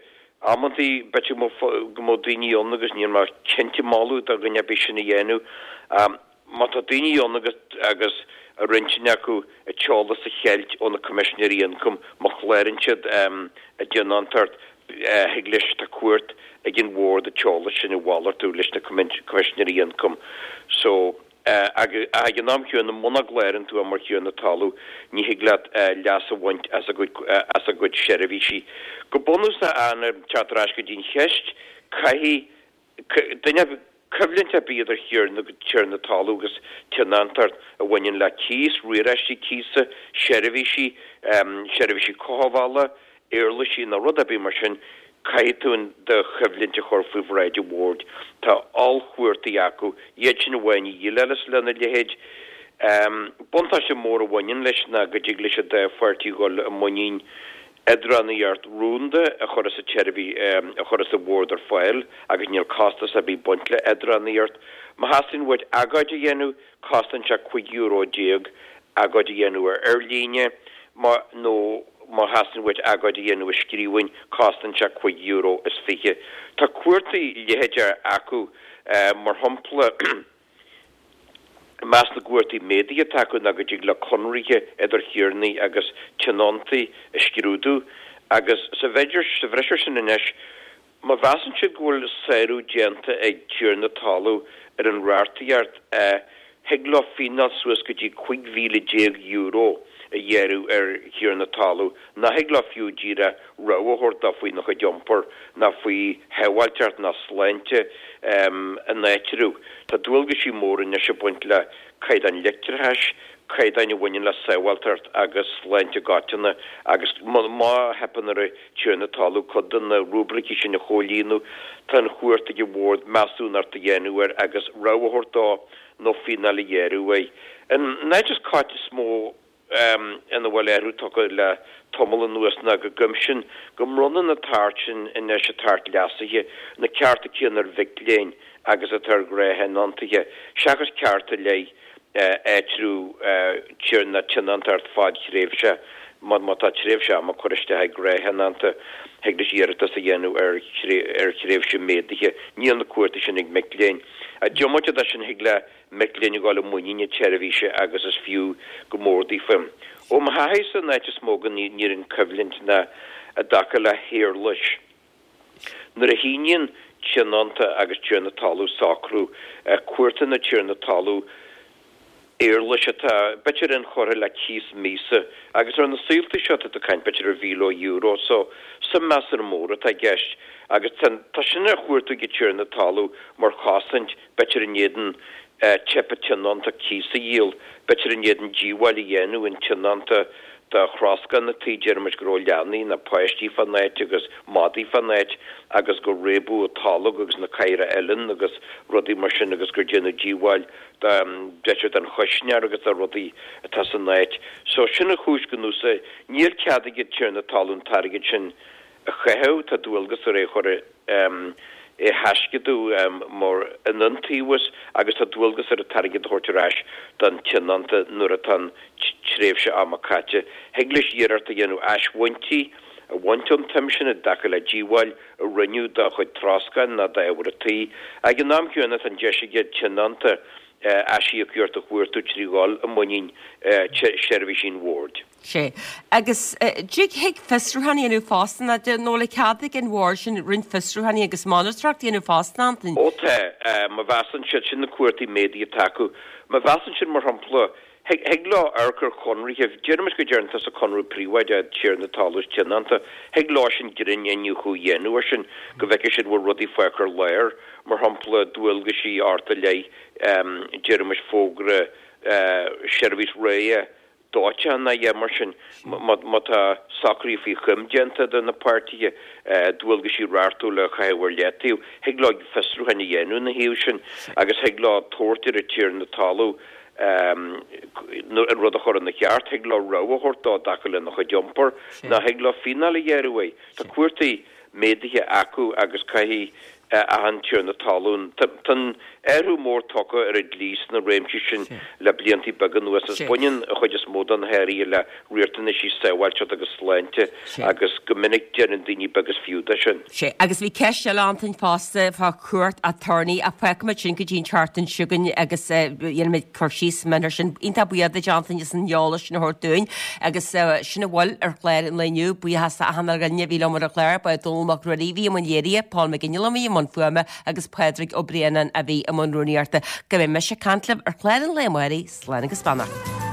amantaí b'fhéidir go mbeadh daoine ann agus níl mé cinnte moladh do dhuine ar bith sin a dhéanamh, Má tá daoine ann agus agus ar intinn acu a t-eolas a cheilt ó na Coimisinéirí Ioncaim, má chláraíonn siad a dtionóntacht, thig leis, tá cumhacht ag an Bhord an t-eolas sin a mhalartú leis na Coimisinéirí Ioncaim. So, ach ag an am chéanna, muna gclárann tú é mar thiarna talún, ní thig leat leas a bhaint as a gcuid as a gcuid seirbhísí. Go bunúsach, Áine, teacht ar ais go dtí an cheist, caithfidh Duine, coimhlint ar bith idir thiarna, tiarna talún agus tionóntacht a bhaineann le cíos, riaráistí cíosa, seirbhísí, seirbhísí cothabhála, éarlaisí nó rud ar bith mar sin, caithfidh tú do choimhlint a chur faoi bhráid an bhoird. Tá ollchumhachtaí acu. Iad sin amháin a dhéileálas lena leithéid. Buntáiste mór a bhaineann leis ná go dtig leis an dá pháirtí dhul i muinín eadránaíocht rúnda a chuireas an tseirbhís a chuireas an Bord ar fáil agus níl costas ar bith ag baint le eadránaíocht. Má theastaíonn uait agóid a dhéanamh, cosnaíonn sé cúig euro déag agóid a dhéanamh ar ar líne, má nó má theastaíonn uait agóid a dhéanamh i scríbhinn, cosnaíonn sé cúig euro is fiche. Tá cumhachtaí leithéideacha acu, mar shampla, I measc na gcumhachtaí méadaithe atá acu ná go dtig leo conarthaí idir thiarnaí agus tionóntaí a scrúdú agus sa bhreis air sin anois, má mheasann siad go bhfuil sárú déanta ag tiarna talún ar an reachtaíocht, thig leo fíneáil suas go dtí cúig mhíle déag euro a ghearradh ar thiarna talún, nach thig leo fiú díreach rabhadh a thabhairt dó faoina chuid iompair ná faoi shábháilteacht ná sláinte an áitribh. Tá dualgaisí móra anois ag baint le caighdeáin leictreachais, caighdeáin a bhaineann le sábháilteacht agus sláinte i gcoitinne agus má theipeann ar an tiarna talún cuid de na rúibricí sin a chomhlíonadh, tá an chumhacht ag an Bhord measúnacht a dhéanamh air agus rabhadh a thabhairt dó nó fíneáil a ghearradh air. An áit is is mó ina bhfuil athrú tagtha le tamall anuas ná go gcuimsíonn, go mbronnann an tAcht sin anois, an tAcht leasaithe, na cearta céanna ar mhic léinn agus atá ar ghnáth-thionóntaithe, seachas ceart i leith áitreabh nó tionóntacht fadthréimhse. Má tá tréimhse ama curtha isteach ag gnáth-thionónta, thig leis iarratas a dhéanamh ar thréimhse méadaithe. Níl na cumhachtaí sin ag mic léinn. Diomaite de sin, thig le mic léinn a dhul i muinín na tseirbhíse agus is fiú go mór daofa. Ó mo thaithísa, an áit is mó go n-éiríonn coimhlint ná i dtaca le héarlais. Nuair a shíníonn tionónta agus tiarna talún socrú, cuartaíonn an tiarna talún éarlais atá, b'fhéidir, inchurtha le cíos míosa agus ar na saolta seo tá tú ag caint b'fhéidir ar mhíle euro so suim measartha mór atá i gceist agus tá sin á chuartú ag an tiarna talún mar chosaint b'fhéidir in éadan teip an tionónta cíos a dhíol, b'fhéidir in éadan díobháil a dhéanamh an tionónta do throscán an tí, déarfaimis go raibh leanaí nó páistí fán áit agus madaí fán áit agus gur réabadh an tolg agus na cathaoireacha uilleann agus rudaí mar sin agus gur déanadh díobháil b'fhéidir don chuisneoir agus do rudaí atá san áit. So sin an chúis go n-úsáid. Níl cead ag an tiarna talún an t-airgead sin a chaitheamh, tá dualgas air é a chur é a thaisceadadh mar in iontaobhas agus tá dualgas air an t-airgead a thabhairt ar ais don tionónta nuair atá an tréimhse ama caite. Thig leis iarracht a dhéanamh asbhaintí a bhaint ón tsuim sin i dtaca le díobháil a rinneadh dá chuid troscáin nó d'ábhar an tí. Ag an am céanna tá an deis ag an tionónta aisíocaíocht a chuartú trí dhul i muinín seirbhísí an Bhoird. Sea. Agus dtig thig fiosrúchán a dhéanamh fosta, nó bhfuil cead ag an Bhord sin roinnt fiosrúcháin agus monatóireacht a dhéanamh fosta, Antain? Ó tá. Má mheasann siad, sin na cumhachtaí méadaithe atá acu. Má mheasann siad, mar shampla, thig thig leo amharc ar chonraithe, déarfaimis go dtearn tusa conradh príobháideach tiarna talún is tionónta, thig leo sin grinn-iniúchadh a dhéanamh air sin go bhfeicfidh siad bhfuil rudaí fágtha ar lár, mar shampla dualgaisí ort i leith déarfaimis fógra seirbhís ráthaithe dóiteáin nó a dhath mar sin. Má tá socruithe faoi choim déanta idir na páirtithe, dualgaisí reachtúla a chaitheamh ar leataobh, thig leo fiosrúchán a dhéanamh ina thaobh sin agus thig leo tabhairt ar an tiarna talún an rud a chur ina cheart, thig leo rabhadh a thabhairt dó i dtaca lena chuid iompair nó thig leo fíneáil a ghearradh air. Tá cumhachtaí méadaithe acu agus caithfidh achan tiarna talún. Tá an athrú mór tagtha ar an dlí sna réimsí sin le blianta beaga anuas agus baineann an chuid is mó de na hathruithe le riachtanaisí sábháilteachta agus sláinte agus go minic déanann daoine beag is fiú de sin. Sea, agus bhí ceist eile Antain fosta fá chúirt aturnae ach fágfaimid sin go dtí an tseachtain seo chugainn agus dhéanfaimid cur síos mion air sin. Iontach buíoch duit Antain as an eolas sin a thabhairt dúinn agus sin a bhfuil ar chlár an lae inniu. Buíochas d'achan dhuine a bhí liom ar an chlár, ba é Dónall Mac Ruairí a bhí i mbun léirithe, Paul McGinley a bhí i mbun fuaime agus Pádraig Ó Braonáin a bhí i mbun rúnaíochta. Go mbeidh mise ag caint libh ar chlár an lae amárach, slán agus beannacht.